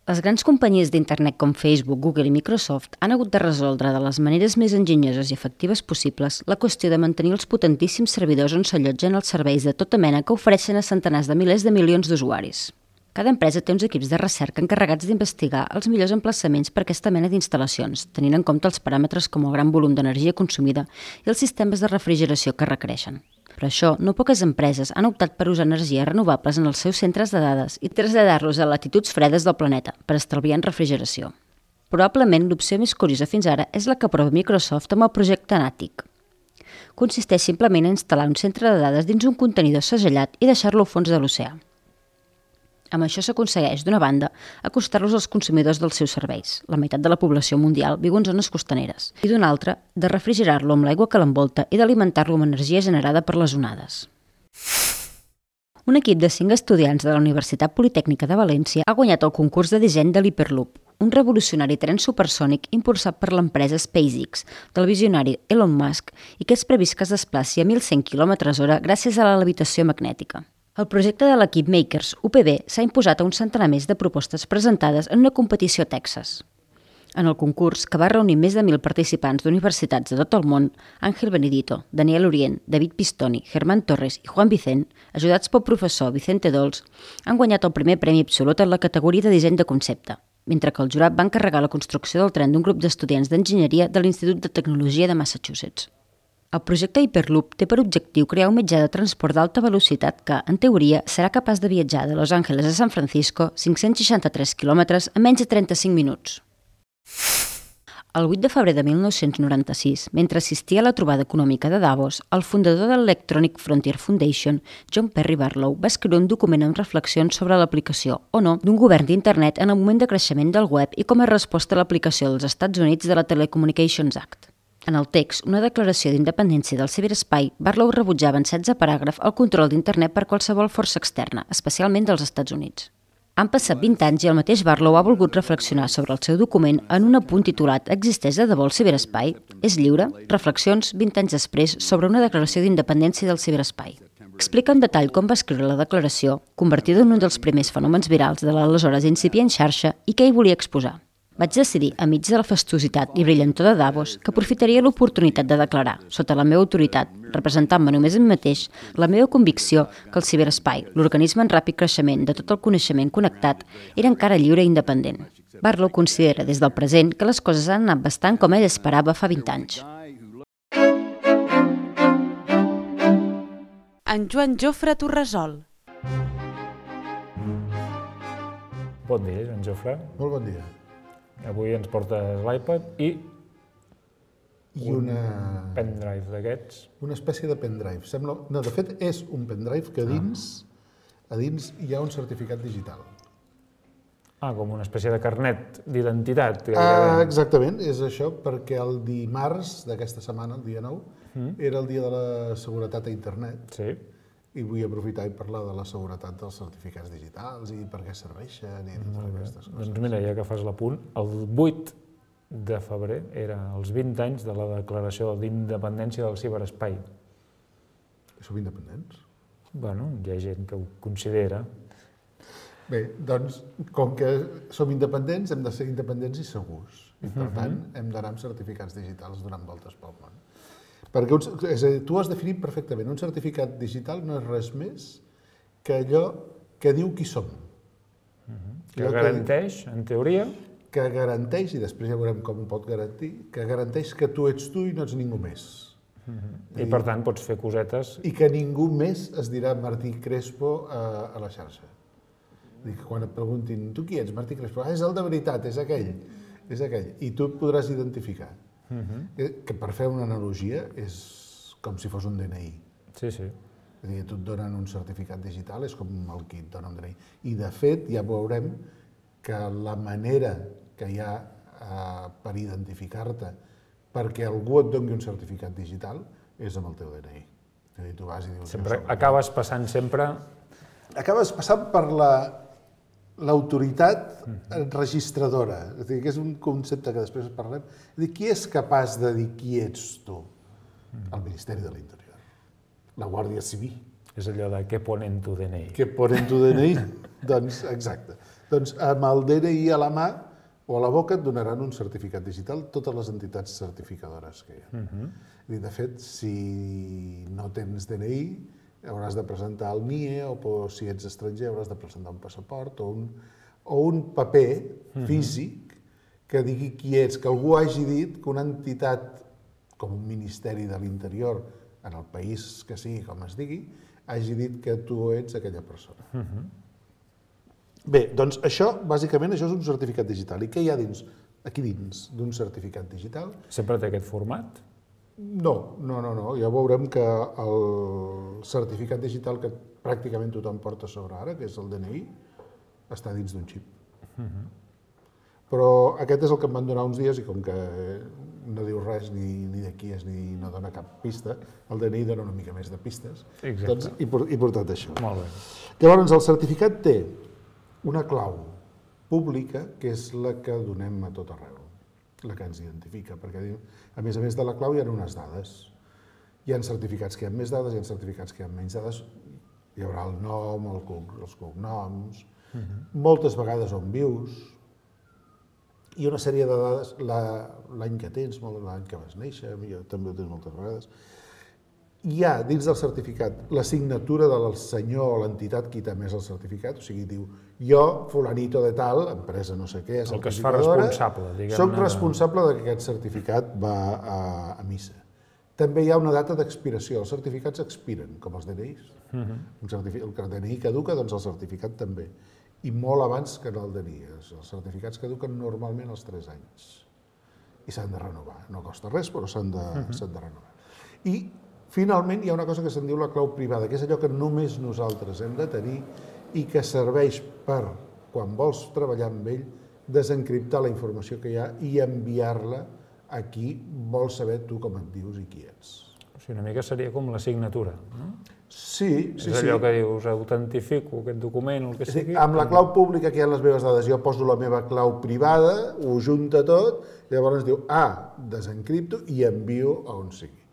Les grans companyies d'internet com Facebook, Google i Microsoft han hagut de resoldre de les maneres més enginyoses i efectives possibles la qüestió de mantenir els potentíssims servidors on s'allotgen els serveis de tota mena que ofereixen a centenars de milers de milions d'usuaris. Cada empresa té uns equips de recerca encarregats d'investigar els millors emplaçaments per a aquesta mena d'instal·lacions, tenint en compte els paràmetres com el gran volum d'energia consumida i els sistemes de refrigeració que requereixen. Per això, no poques empreses han optat per usar energies renovables en els seus centres de dades i traslladar-los a latituds fredes del planeta per estalviar en refrigeració. Probablement l'opció més curiosa fins ara és la que aprova Microsoft amb el projecte Natick. Consisteix simplement a instal·lar un centre de dades dins un contenidor segellat i deixar-lo al fons de l'oceà. Amb això s'aconsegueix, d'una banda, acostar-los als consumidors dels seus serveis, la meitat de la població mundial viu en zones costaneres, i d'una altra, de refrigerar-lo amb l'aigua que l'envolta i d'alimentar-lo amb energia generada per les onades. Un equip de cinc estudiants de la Universitat Politècnica de València ha guanyat el concurs de disseny de l'Hyperloop, un revolucionari tren supersònic impulsat per l'empresa SpaceX, del visionari Elon Musk, i que és previst que es desplaci a mil cent quilòmetres hora gràcies a la levitació magnètica. El projecte de l'equip Makers U P B s'ha imposat a un centenar més de propostes presentades en una competició a Texas. En el concurs, que va reunir més de mil participants d'universitats de tot el món, Ángel Benedito, Daniel Orient, David Pistoni, Germán Torres i Juan Vicent, ajudats pel professor Vicente Dols, han guanyat el primer premi absolut en la categoria de disseny de concepte, mentre que el jurat va encarregar la construcció del tren d'un grup d'estudiants d'enginyeria de l'Institut de Tecnologia de Massachusetts. El projecte Hyperloop té per objectiu crear un mitjà de transport d'alta velocitat que, en teoria, serà capaç de viatjar de Los Angeles a San Francisco, cinc-cents seixanta-tres quilòmetres, en menys de trenta-cinc minuts. El vuit de febrer de mil nou-cents noranta-sis, mentre assistia a la trobada econòmica de Davos, el fundador de l'Electronic Frontier Foundation, John Perry Barlow, va escriure un document amb reflexions sobre l'aplicació, o no, d'un govern d'internet en el moment de creixement del web i com a resposta a l'aplicació dels Estats Units de la Telecommunications Act. En el text, una declaració d'independència del ciberespai, Barlow rebutjava en setze paràgrafs el control d'internet per qualsevol força externa, especialment dels Estats Units. Han passat vint anys i el mateix Barlow ha volgut reflexionar sobre el seu document en un apunt titulat «Existeix de debò el ciberespai? És lliure? Reflexions vint anys després sobre una declaració d'independència del ciberespai». Explica en detall com va escriure la declaració, convertida en un dels primers fenòmens virals de l'aleshores incipient xarxa i què hi volia exposar. Vaig decidir, enmig de la fastuositat i brillantor de Davos, que aprofitaria l'oportunitat de declarar, sota la meva autoritat, representant-me només a mi mateix, la meva convicció que el ciberespai, l'organisme en ràpid creixement de tot el coneixement connectat, era encara lliure i independent. Barlow considera des del present que les coses han anat bastant com ell esperava fa vint anys. en Joan Jofre Torresol. Bon dia, Joan Jofre. Molt bon dia. Avui ens portes l'iPad i I una, pendrive d'aquests. una espècie de pendrive. Sembla, no, de fet, és un pendrive que a dins, a dins hi ha un certificat digital. Ah, com una espècie de carnet d'identitat. Ah, exactament, és això, perquè el dimarts d'aquesta setmana, el dia nou, era el dia de la seguretat a internet. Sí. I vull aprofitar i parlar de la seguretat dels certificats digitals i per què serveixen i totes aquestes coses. Doncs mira, ja que fas l'apunt, el vuit de febrer era els vint anys de la declaració d'independència del ciberespai. Som independents? Bueno, hi ha gent que ho considera. Bé, doncs, com que som independents, hem de ser independents i segurs. I, per tant, hem d'anar amb certificats digitals donant voltes pel món. Perquè un, és a dir, tu has definit perfectament, un certificat digital no és res més que allò que diu qui som. Que garanteix, en teoria... Que garanteix, i després ja veurem com ho pot garantir, que garanteix que tu ets tu i no ets ningú més. I per tant pots fer cosetes... I que ningú més es dirà Martí Crespo a, a la xarxa. Dic, quan et preguntin, tu qui ets, Martí Crespo? Ah, és el de veritat, és aquell, és aquell. I tu et podràs identificar. Que per fer una analogia és com si fos un D N I. Sí, sí. És a dir, tu et donen un certificat digital, és com el que et dona un D N I. I de fet ja veurem que la manera que hi ha eh, per identificar-te perquè algú et doni un certificat digital és amb el teu D N I. És a dir, tu vas i dius... Sempre, acabes passant sempre... Acabes passant per la l'autoritat registradora. És a dir, que és un concepte que després parlem. És a dir, qui és capaç de dir qui ets tu? El Ministeri de l'Interior. La Guàrdia Civil. És allò de què ponen tu D N I. Què ponen tu D N I? Doncs, exacte. Doncs amb el D N I a la mà o a la boca et donaran un certificat digital totes les entitats certificadores que hi ha. I de fet, si no tens D N I, hauràs de presentar el N I E, o si ets estranger hauràs de presentar un passaport o un, o un paper físic que digui qui ets, que algú hagi dit que una entitat com un Ministeri de l'Interior, en el país que sigui, com es digui, hagi dit que tu ets aquella persona. Bé, doncs això, bàsicament, això és un certificat digital. I què hi ha dins, aquí dins d'un certificat digital? Sempre té aquest format? No, no, no, no. Ja veurem que el certificat digital que pràcticament tothom porta sobre ara, que és el D N I, està dins d'un xip. Però aquest és el que em van donar uns dies i com que no diu res ni, ni de qui és ni no dona cap pista, el D N I dona una mica més de pistes. Exacte. Doncs he, he portat això. Molt bé. Llavors, el certificat té una clau pública que és la que donem a tot arreu, la que ens identifica, perquè a més a més de la clau hi ha unes dades. Hi ha certificats que hi ha més dades, hi ha certificats que hi ha menys dades, hi haurà el nom, el, els cognoms, moltes vegades on vius, i una sèrie de dades, l'any que tens, l'any que vas néixer, jo també ho tens moltes vegades. Hi ha dins del certificat la signatura del senyor o l'entitat qui té més el certificat, o sigui, diu, jo, fulanito de tal, empresa no sé què, el que es fa responsable, diguem-ne. Soc responsable que aquest certificat va a, a missa. També hi ha una data d'expiració, els certificats expiren, com els D N Is. El D N I caduca, doncs el certificat també. I molt abans que en el D N I. Els certificats caduquen normalment als tres anys. I s'han de renovar. No costa res, però s'han de, s'han de renovar. I finalment hi ha una cosa que se'n diu la clau privada, que és allò que només nosaltres hem de tenir i que serveix per, quan vols treballar amb ell, desencriptar la informació que hi ha i enviar-la a qui vol saber tu com et dius i qui ets. O sigui, una mica seria com la signatura, no? Sí, sí, sí. És allò que dius, autentifico aquest document, el que sigui. Amb la clau pública que hi ha les meves dades, jo poso la meva clau privada, ho junta tot, i llavors diu, ah, desencripto i envio a on sigui.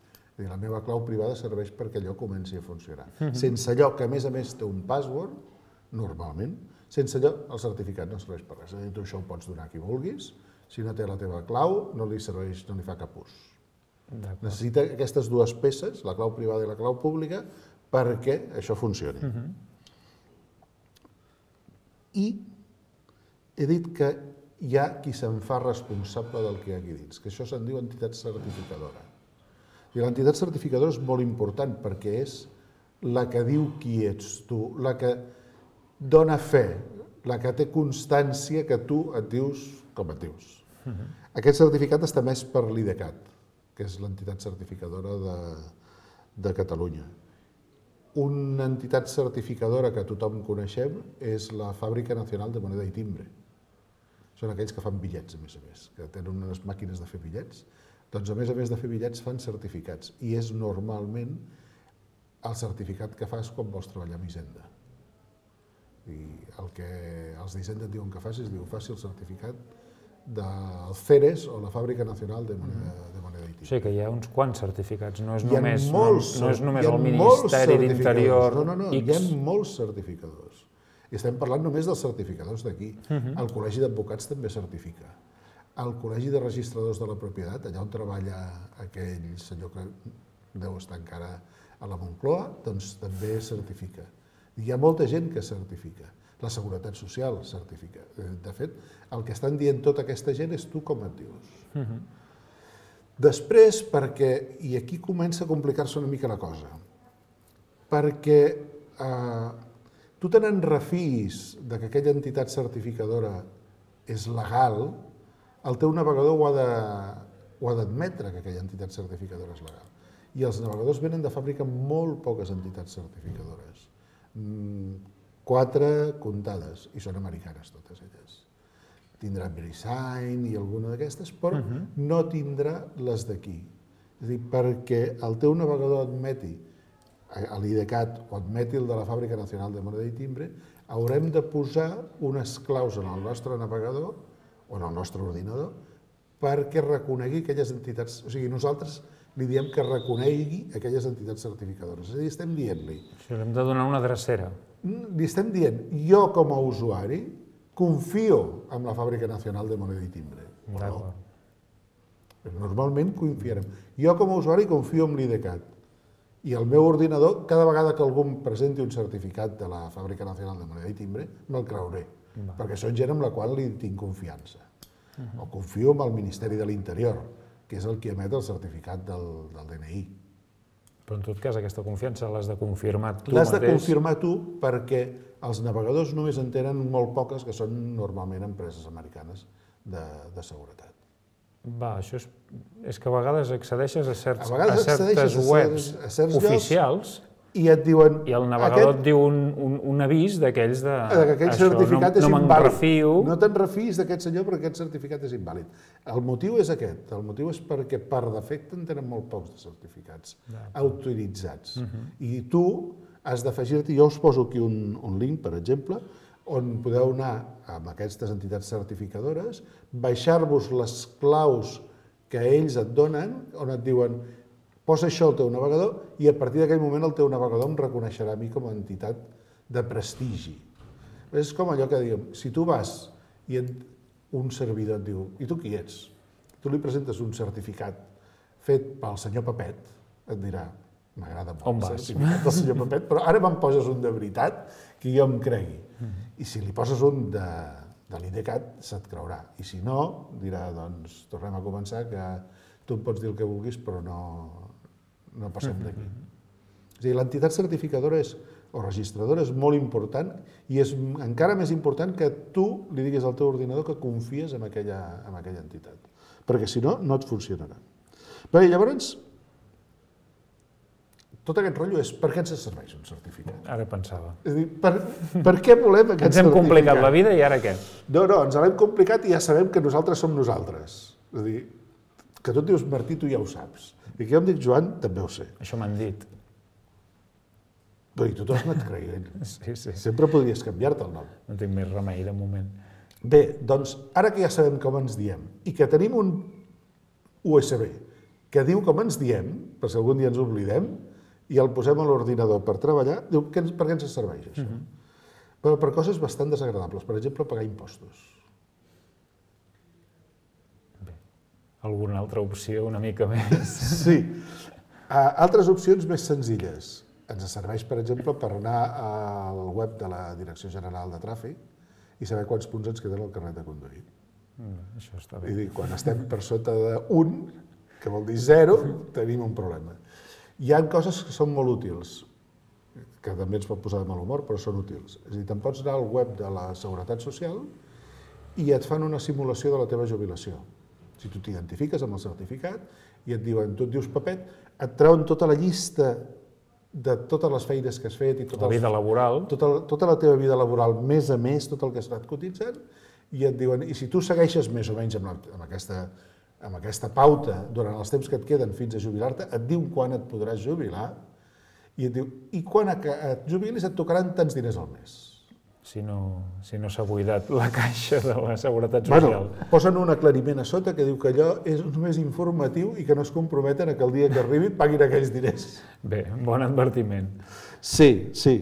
La meva clau privada serveix perquè allò comenci a funcionar. Sense allò, que a més a més té un password, normalment, sense allò el certificat no serveix per res. És a dir, tu això ho pots donar a qui vulguis, si no té la teva clau no li serveix, no li fa cap ús. Necessita aquestes dues peces, la clau privada i la clau pública, perquè això funcioni. I he dit que hi ha qui se'n fa responsable del que hi ha aquí dins, que això se'n diu entitat certificadora. I l'entitat certificadora és molt important perquè és la que diu qui ets tu, la que dona fe, la que té constància que tu et dius com et dius. Uh-huh. Aquest certificat està emès per l'IDECAT, que és l'entitat certificadora de, de Catalunya. Una entitat certificadora que tothom coneixem és la Fàbrica Nacional de Moneda i Timbre. Són aquells que fan bitllets, a més a més, que tenen unes màquines de fer bitllets. Doncs, a més a més de fer bitllets, fan certificats. I és normalment el certificat que fas quan vols treballar amb Hisenda. I el que els d'Hisenda et diuen que facis, diu, faci el certificat del CERES o la Fàbrica Nacional de Moneda, de moneda i Timbre. O sigui que hi ha uns quants certificats, no és només, molts, no, no és només el Ministeri d'Interior No, no, no, X. hi ha molts certificadors. I estem parlant només dels certificadors d'aquí. Uh-huh. El Col·legi d'Advocats també certifica. El Col·legi de Registradors de la Propietat, allà on treballa aquell senyor que deu estar encara a la Moncloa, doncs també certifica. Hi ha molta gent que certifica. La Seguretat Social certifica. De fet, el que estan dient tota aquesta gent és tu com et dius. Uh-huh. Després, perquè, i aquí comença a complicar-se una mica la cosa, perquè eh, tu te n'en refiïs de que aquella entitat certificadora és legal, el teu navegador ho ha de, ho ha d'admetre que aquella entitat certificadora és legal. I els navegadors venen de fàbrica molt poques entitats certificadores. Mm, Quatre comptades, i són americanes totes elles. Tindrà VeriSign i alguna d'aquestes, però uh-huh. no tindrà les d'aquí. És a dir, perquè el teu navegador admeti l'IDECAT o admeti el de la Fàbrica Nacional de Moneda i Timbre, haurem de posar unes claus en el nostre navegador o en el nostre ordinador perquè reconegui aquelles entitats. O sigui, nosaltres li diem que reconegui aquelles entitats certificadores. És a dir, estem dient-li... O sigui, hem de donar una drecera. Li estem dient, jo com a usuari confio en la Fàbrica Nacional de Moneda i Timbre. No. Normalment confiarem. Jo com a usuari confio en l'IDECAT. I el meu ordinador, cada vegada que algú em presenti un certificat de la Fàbrica Nacional de Moneda i Timbre, me'l creuré. Va. Perquè són gent amb la qual li tinc confiança. Uh-huh. O confio en el Ministeri de l'Interior, que és el que emet el certificat del, del D N I. Però en tot cas aquesta confiança l'has de confirmar tu L'has mateix. de confirmar tu perquè els navegadors només en tenen molt poques que són normalment empreses americanes de, de seguretat. Va, això és, és que a vegades accedeixes a, certs, a, vegades a certes a webs a certs oficials i et diuen... I el navegador aquest, et diu un, un, un avís d'aquells de... que aquell certificat no, és no invàlid. Refio. No te'n refiïs d'aquest senyor perquè aquest certificat és invàlid. El motiu és aquest. El motiu és perquè per defecte en tenen molt pocs de certificats ja. autoritzats. Uh-huh. I tu has d'afegir-te... Jo us poso aquí un, un link, per exemple, on podeu anar amb aquestes entitats certificadores, baixar-vos les claus que ells et donen, on et diuen posa això al teu navegador i a partir d'aquell moment el teu navegador em reconeixerà a mi com a entitat de prestigi. És com allò que diem, si tu vas i un servidor et diu, i tu qui ets? Tu li presentes un certificat fet pel senyor Papet, et dirà, m'agrada molt el certificat del senyor Papet, però ara me'n poses un de veritat que jo em cregui. I si li poses un de, de l'IDECAT, se't creurà. I si no, dirà, doncs, tornem a començar, que tu em pots dir el que vulguis, però no... no passem d'aquí. És a dir, l'entitat certificadora és, o registradora és molt important i és encara més important que tu li diguis al teu ordinador que confies en aquella, en aquella entitat. Perquè si no, no et funcionarà. Bé, llavors, tot aquest rotllo és per què ens serveix un certificat? Ara pensava. És a dir, per, per què volem aquest certificat? Ens hem complicat la vida i ara què? No, no, ens l'hem complicat i ja sabem que nosaltres som nosaltres. És a dir, que tu et dius Martí, tu ja ho saps. I que jo em dic Joan, també ho sé. Això m'han dit. Però i tu t'ho has anat creient. Sí, sí. Sempre podries canviar-te el nom. No tinc més remei de moment. Bé, doncs, ara que ja sabem com ens diem i que tenim un U S B que diu com ens diem, per si algun dia ens oblidem, i el posem a l'ordinador per treballar, diu, per què ens serveix això? Uh-huh. Però per coses bastant desagradables, per exemple, pagar impostos. Alguna altra opció una mica més? Sí. Altres opcions més senzilles. Ens serveix, per exemple, per anar al web de la Direcció General de Tràfic i saber quants punts ens queden al carnet de conduir. Mm, això està bé. I dir, quan estem per sota d'un, que vol dir zero, tenim un problema. Hi ha coses que són molt útils. que també ens pot posar de mal humor, però són útils. És a dir, te'n pots anar al web de la Seguretat Social i et fan una simulació de la teva jubilació. Si tu t'identifiques amb el certificat i et diuen, tu et dius Pepet, et treuen tota la llista de totes les feines que has fet i la vida laboral, tota, tota la teva vida laboral, més a més, tot el que has anat cotitzant, i et diuen, i si tu segueixes més o menys amb, la, amb, aquesta, amb aquesta pauta durant els temps que et queden fins a jubilar-te, et diu quan et podràs jubilar, i et diu, i quan et jubilis et tocaran tants diners al mes. Si no si no s'ha buidat la caixa de la Seguretat Social. Bueno, posen un aclariment a sota que diu que allò és només informatiu i que no es comprometen a que el dia que arribi paguin aquells diners. Bé, bon advertiment. Sí, sí.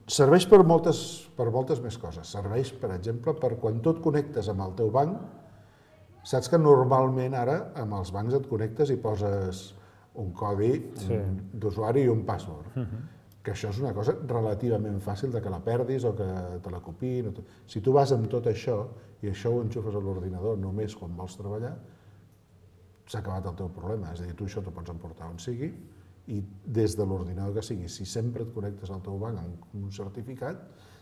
Serveix per moltes, per moltes més coses. Serveix, per exemple, per quan tu et connectes amb el teu banc, saps que normalment ara amb els bancs et connectes i poses un codi sí. d'usuari i un password. Uh-huh. Que això és una cosa relativament fàcil de que la perdis o que te la copiïn. Si tu vas amb tot això i això ho enxufes a l'ordinador només quan vols treballar, s'ha acabat el teu problema. És a dir, tu això t'ho pots emportar on sigui i des de l'ordinador que sigui, si sempre et connectes al teu banc amb un certificat,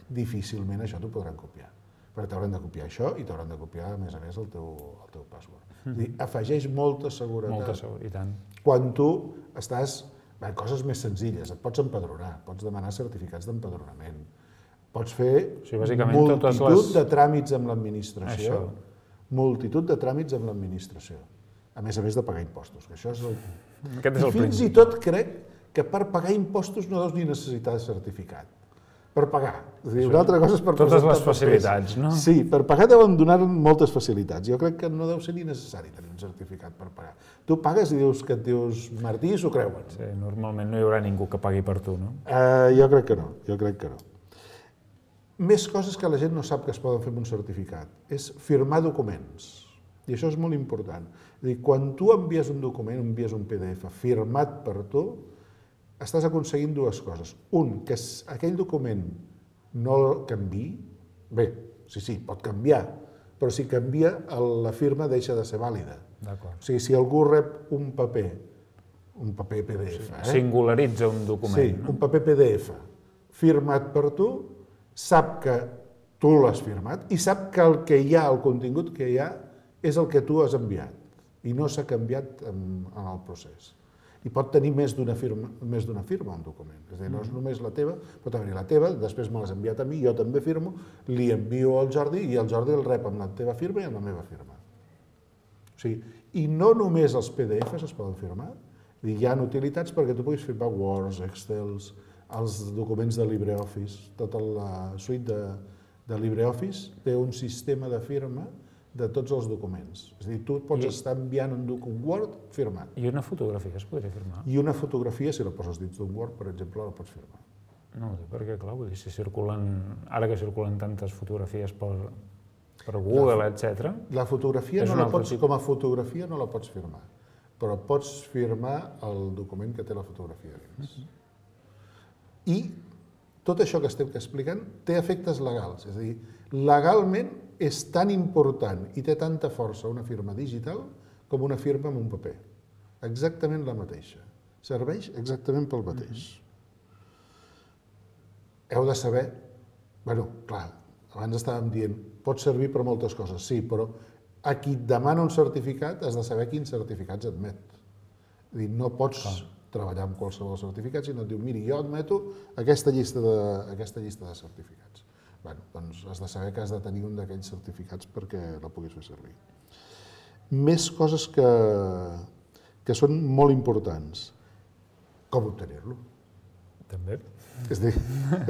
difícilment això t'ho podran copiar. Perquè t'hauran de copiar això i t'hauran de copiar, a més a més, el teu, el teu password. Mm. És a dir, afegeix molta seguretat. Molta seguretat, i tant. Quan tu estàs... Bé, coses més senzilles, et pots empadronar, pots demanar certificats d'empadronament, pots fer o sigui, multitud les... de tràmits amb l'administració, això. multitud de tràmits amb l'administració, a més a més de pagar impostos, que això és el... Aquest és el I fins principi. i tot crec que per pagar impostos no deus ni necessitar certificat. Per pagar. És a dir, una altra cosa és per totes les facilitats, no? Sí, per pagar deuen donar moltes facilitats. Jo crec que no deu ser ni necessari tenir un certificat per pagar. Tu pagues i dius que et dius Martí i s'ho creuen. Sí, normalment no hi haurà ningú que pagui per tu, no? Uh, jo crec que no, jo crec que no. Més coses que la gent no sap que es poden fer amb un certificat. És firmar documents. I això és molt important. És a dir, quan tu envies un document, envies un P D F firmat per tu, estàs aconseguint dues coses. Un, que aquell document no canviï. Bé, sí, sí, pot canviar, però si canvia, la firma deixa de ser vàlida. D'acord. O sigui, si algú rep un paper, un paper P D F... Sí, eh? Singularitza un document. Sí, no? un paper P D F firmat per tu, sap que tu l'has firmat i sap que el que hi ha, el contingut que hi ha, és el que tu has enviat i no s'ha canviat en, en el procés. I pot tenir més d'una firma, més d'una firma un document. És a dir, no és només la teva, pot haver-hi la teva, després me l'has enviat a mi, jo també firmo, li envio al Jordi i el Jordi el rep amb la teva firma i amb la meva firma. O sigui, i no només els P D Fs es poden firmar, hi ha utilitats perquè tu puguis firmar Words, Excels, els documents de LibreOffice, tota la suite de, de LibreOffice té un sistema de firma de tots els documents. És a dir, tu pots I... estar enviant un document Word firmat. I una fotografia es podria firmar? I una fotografia, si la poses dins d'un Word, per exemple, la pots firmar. No, perquè, clar, vull dir, si circulen, ara que circulen tantes fotografies per, per Google, la, etcètera... La fotografia, no la pots, com a fotografia no la pots firmar, però pots firmar el document que té la fotografia dins. Uh-huh. I tot això que estem explicant té efectes legals, és a dir, legalment és tan important i té tanta força una firma digital com una firma amb un paper. Exactament la mateixa. Serveix exactament pel mateix. Mm-hmm. Heu de saber... Bueno, clar, abans estàvem dient, pot servir per moltes coses, sí, però a qui et demana un certificat has de saber quins certificats admet. És a dir, no pots clar. treballar amb qualsevol certificat, sinó et diu, miri, jo admeto aquesta llista de, aquesta llista de certificats. Bueno, doncs has de saber que has de tenir un d'aquells certificats perquè la puguis fer servir. Més coses que, que són molt importants. Com obtenir-lo? També. És a dir,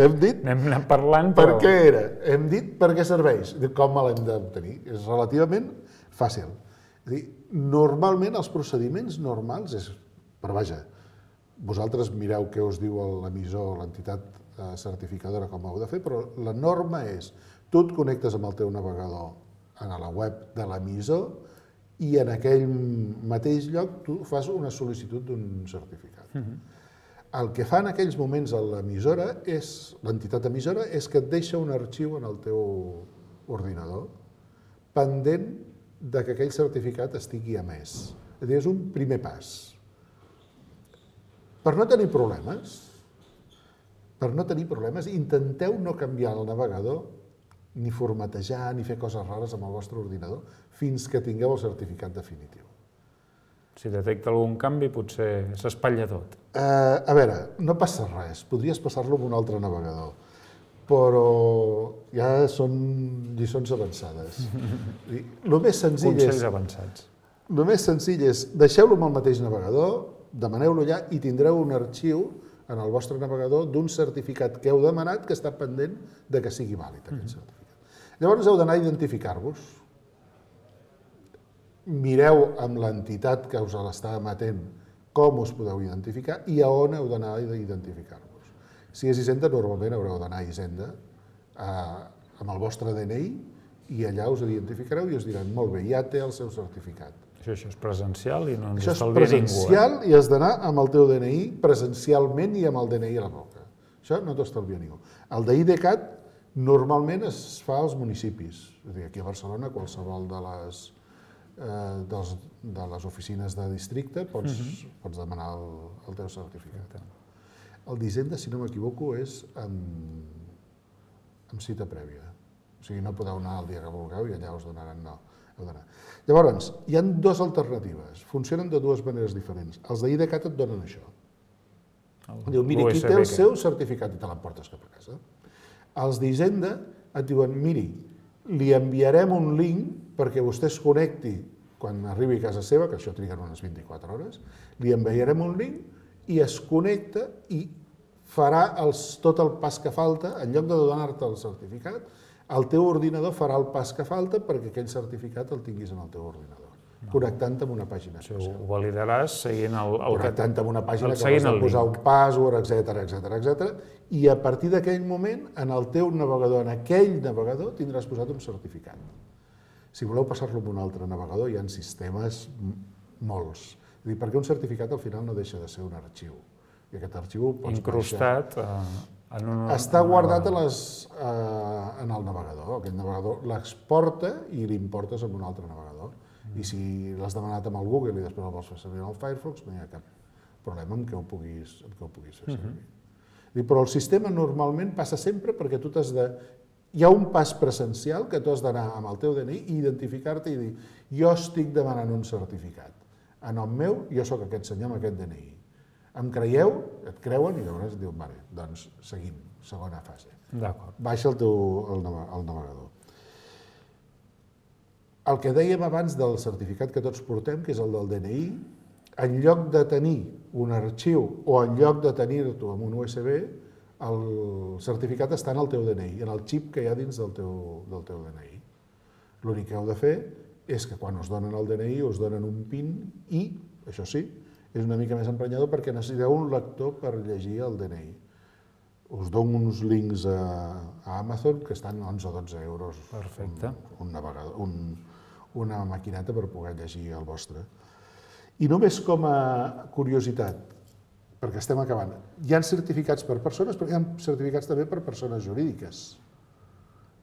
hem dit... N'hem anat parlant, però... Per què era? Hem dit per què serveix. Com l'hem d'obtenir? És relativament fàcil. És a dir, normalment els procediments normals és... Però vaja, vosaltres mireu què us diu l'emissor, l'entitat certificadora com ho heu de fer, però la norma és tu et connectes amb el teu navegador a la web de l'emissor i en aquell mateix lloc tu fas una sol·licitud d'un certificat. Mm-hmm. El que fa en aquells moments l'emissora, és l'entitat emissora, és que et deixa un arxiu en el teu ordinador pendent de que aquell certificat estigui emès. És a dir, és un primer pas. Per no tenir problemes, per no tenir problemes, intenteu no canviar el navegador, ni formatejar, ni fer coses rares amb el vostre ordinador, fins que tingueu el certificat definitiu. Si detecta algun canvi, potser s'espatlla tot. Uh, a veure, no passa res, podries passar-lo amb un altre navegador, però ja són lliçons avançades. El més senzill és... Consells avançats. El més senzill és deixeu-lo amb el mateix navegador, demaneu-lo allà i tindreu un arxiu en el vostre navegador d'un certificat que heu demanat que està pendent de que sigui vàlid aquest certificat. Llavors heu d'anar a identificar-vos. Mireu amb l'entitat que us l'està emetent com us podeu identificar i a on heu d'anar a identificar-vos. Si és Hisenda, normalment haureu d'anar a Hisenda amb el vostre D N I i allà us identificareu i us diran, molt bé, ja té el seu certificat. Això, això és presencial i no ens Això és estalvia ningú. presencial i has d'anar amb el teu D N I presencialment i amb el D N I a la boca. Això no t'estalvia ningú. El d'IDCAT normalment es fa als municipis. És a dir, aquí a Barcelona, qualsevol de les, eh, dels, de les oficines de districte pots, uh-huh. pots demanar el, el teu certificat. El d'Hisenda, si no m'equivoco, és amb, amb cita prèvia. O sigui, no podeu anar el dia que vulgueu i allà us donaran no. Llavors, hi ha dues alternatives, funcionen de dues maneres diferents. Els d'IDCAT et donen això. Diu, miri, aquí té el seu certificat i te l'emportes cap a casa. Els d'Hisenda et diuen, miri, li enviarem un link perquè vostè es connecti quan arribi a casa seva, que això triguen unes vint-i-quatre hores, li enviarem un link i es connecta i farà els, tot el pas que falta, en lloc de donar-te el certificat, el teu ordinador farà el pas que falta perquè aquell certificat el tinguis en el teu ordinador, no. Connectant-te amb una pàgina especial. Ho validaràs seguint el... el Connectant-te amb una pàgina que has de posar un password, etcètera, etcètera, etcètera, i a partir d'aquell moment, en el teu navegador, en aquell navegador, tindràs posat un certificat. Si voleu passar-lo amb un altre navegador, hi ha sistemes molts. És a dir, perquè un certificat al final no deixa de ser un arxiu. I aquest arxiu pots incrustat en un... Està guardat a les, eh, en el navegador. Aquest navegador l'exporta i l'importes en un altre navegador. Mm. I si l'has demanat amb el Google i després el vols fer servir en el Firefox, no hi ha cap problema en què ho puguis, en què ho puguis fer servir. Mm-hmm. Però el sistema normalment passa sempre perquè tu t'has de... Hi ha un pas presencial que tu has d'anar amb el teu D N I i identificar-te i dir jo estic demanant un certificat. A nom meu, jo sóc aquest senyor amb aquest D N I. Em creieu, et creuen i llavors et diuen, vale, doncs seguim, segona fase. D'acord. Baixa el teu el navegador. El que dèiem abans del certificat que tots portem, que és el del D N I, en lloc de tenir un arxiu o en lloc de tenir-t'ho amb un U S B, el certificat està en el teu D N I, en el xip que hi ha dins del teu, del teu D N I. L'únic que heu de fer és que quan us donen el D N I us donen un PIN i, això sí, és una mica més emprenyador perquè necessiteu un lector per llegir el D N I. Us dono uns links a, a Amazon que estan onze o dotze euros. Perfecte. Un, un navegador, un, una maquineta per poder llegir el vostre. I només com a curiositat, perquè estem acabant, hi ha certificats per persones, però hi ha certificats també per persones jurídiques.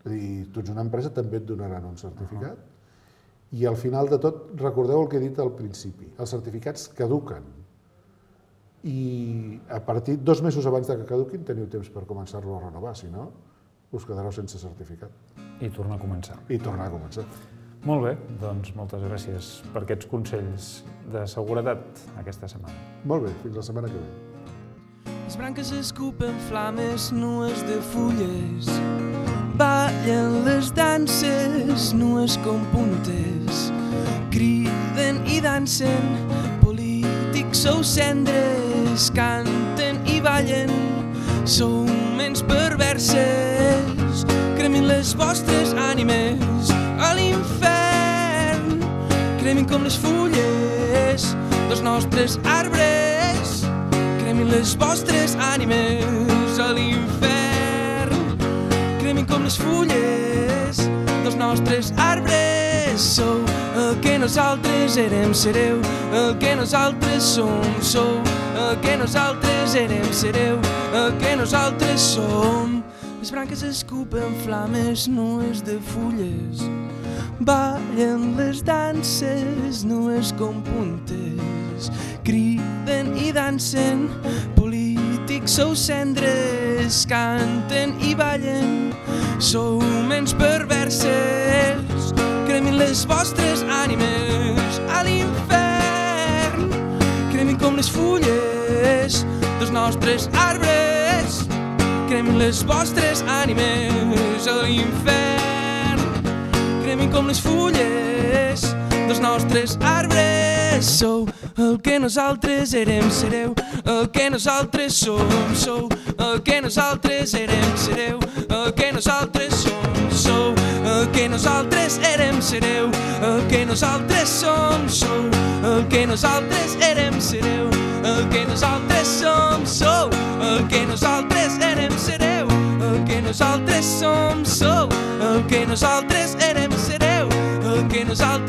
És a dir, tu ets una empresa, també et donaran un certificat. Uh-huh. I al final de tot, recordeu el que he dit al principi, els certificats caduquen i a partir, dos mesos abans de que caduquin, teniu temps per començar-lo a renovar, si no, us quedareu sense certificat. I tornar a començar. I tornar a començar. Molt bé, doncs moltes gràcies per aquests consells de seguretat aquesta setmana. Molt bé, fins la setmana que ve. Les branques escupen flames nues de fulles, ballen les danses nues com puntes, criden i dansen, polítics sou cendres, canten i ballen, sou ments perverses, cremin les vostres ànimes a l'infern, cremin com les fulles dels nostres arbres, cremin les vostres ànimes a l'infern, cremin com les fulles dels nostres arbres, sou el que nosaltres érem, sereu el que nosaltres som, sou el que nosaltres érem, sereu el que nosaltres som. Les branques escupen flames nues de fulles, ballen les danses nues com puntes, criden i dansen, polítics sou cendres, altres canten i ballen, sou menys perverses, cremin les vostres ànimes a l'infern, cremin com les fulles dels nostres arbres, cremin les vostres ànimes a l'infern, cremin com les fulles dels nostres arbres. Sou el que nosaltres érem, sereu el que nosaltres som, sou el que nosaltres érem, sereu el que nosaltres som, sou el que nosaltres érem, sereu el que nosaltres som, sou el que nosaltres érem, sereu el que nosaltres som, sou el que nosaltres érem, sereu el que nosaltres som, sou el que nosaltres érem, sereu el que nosaltres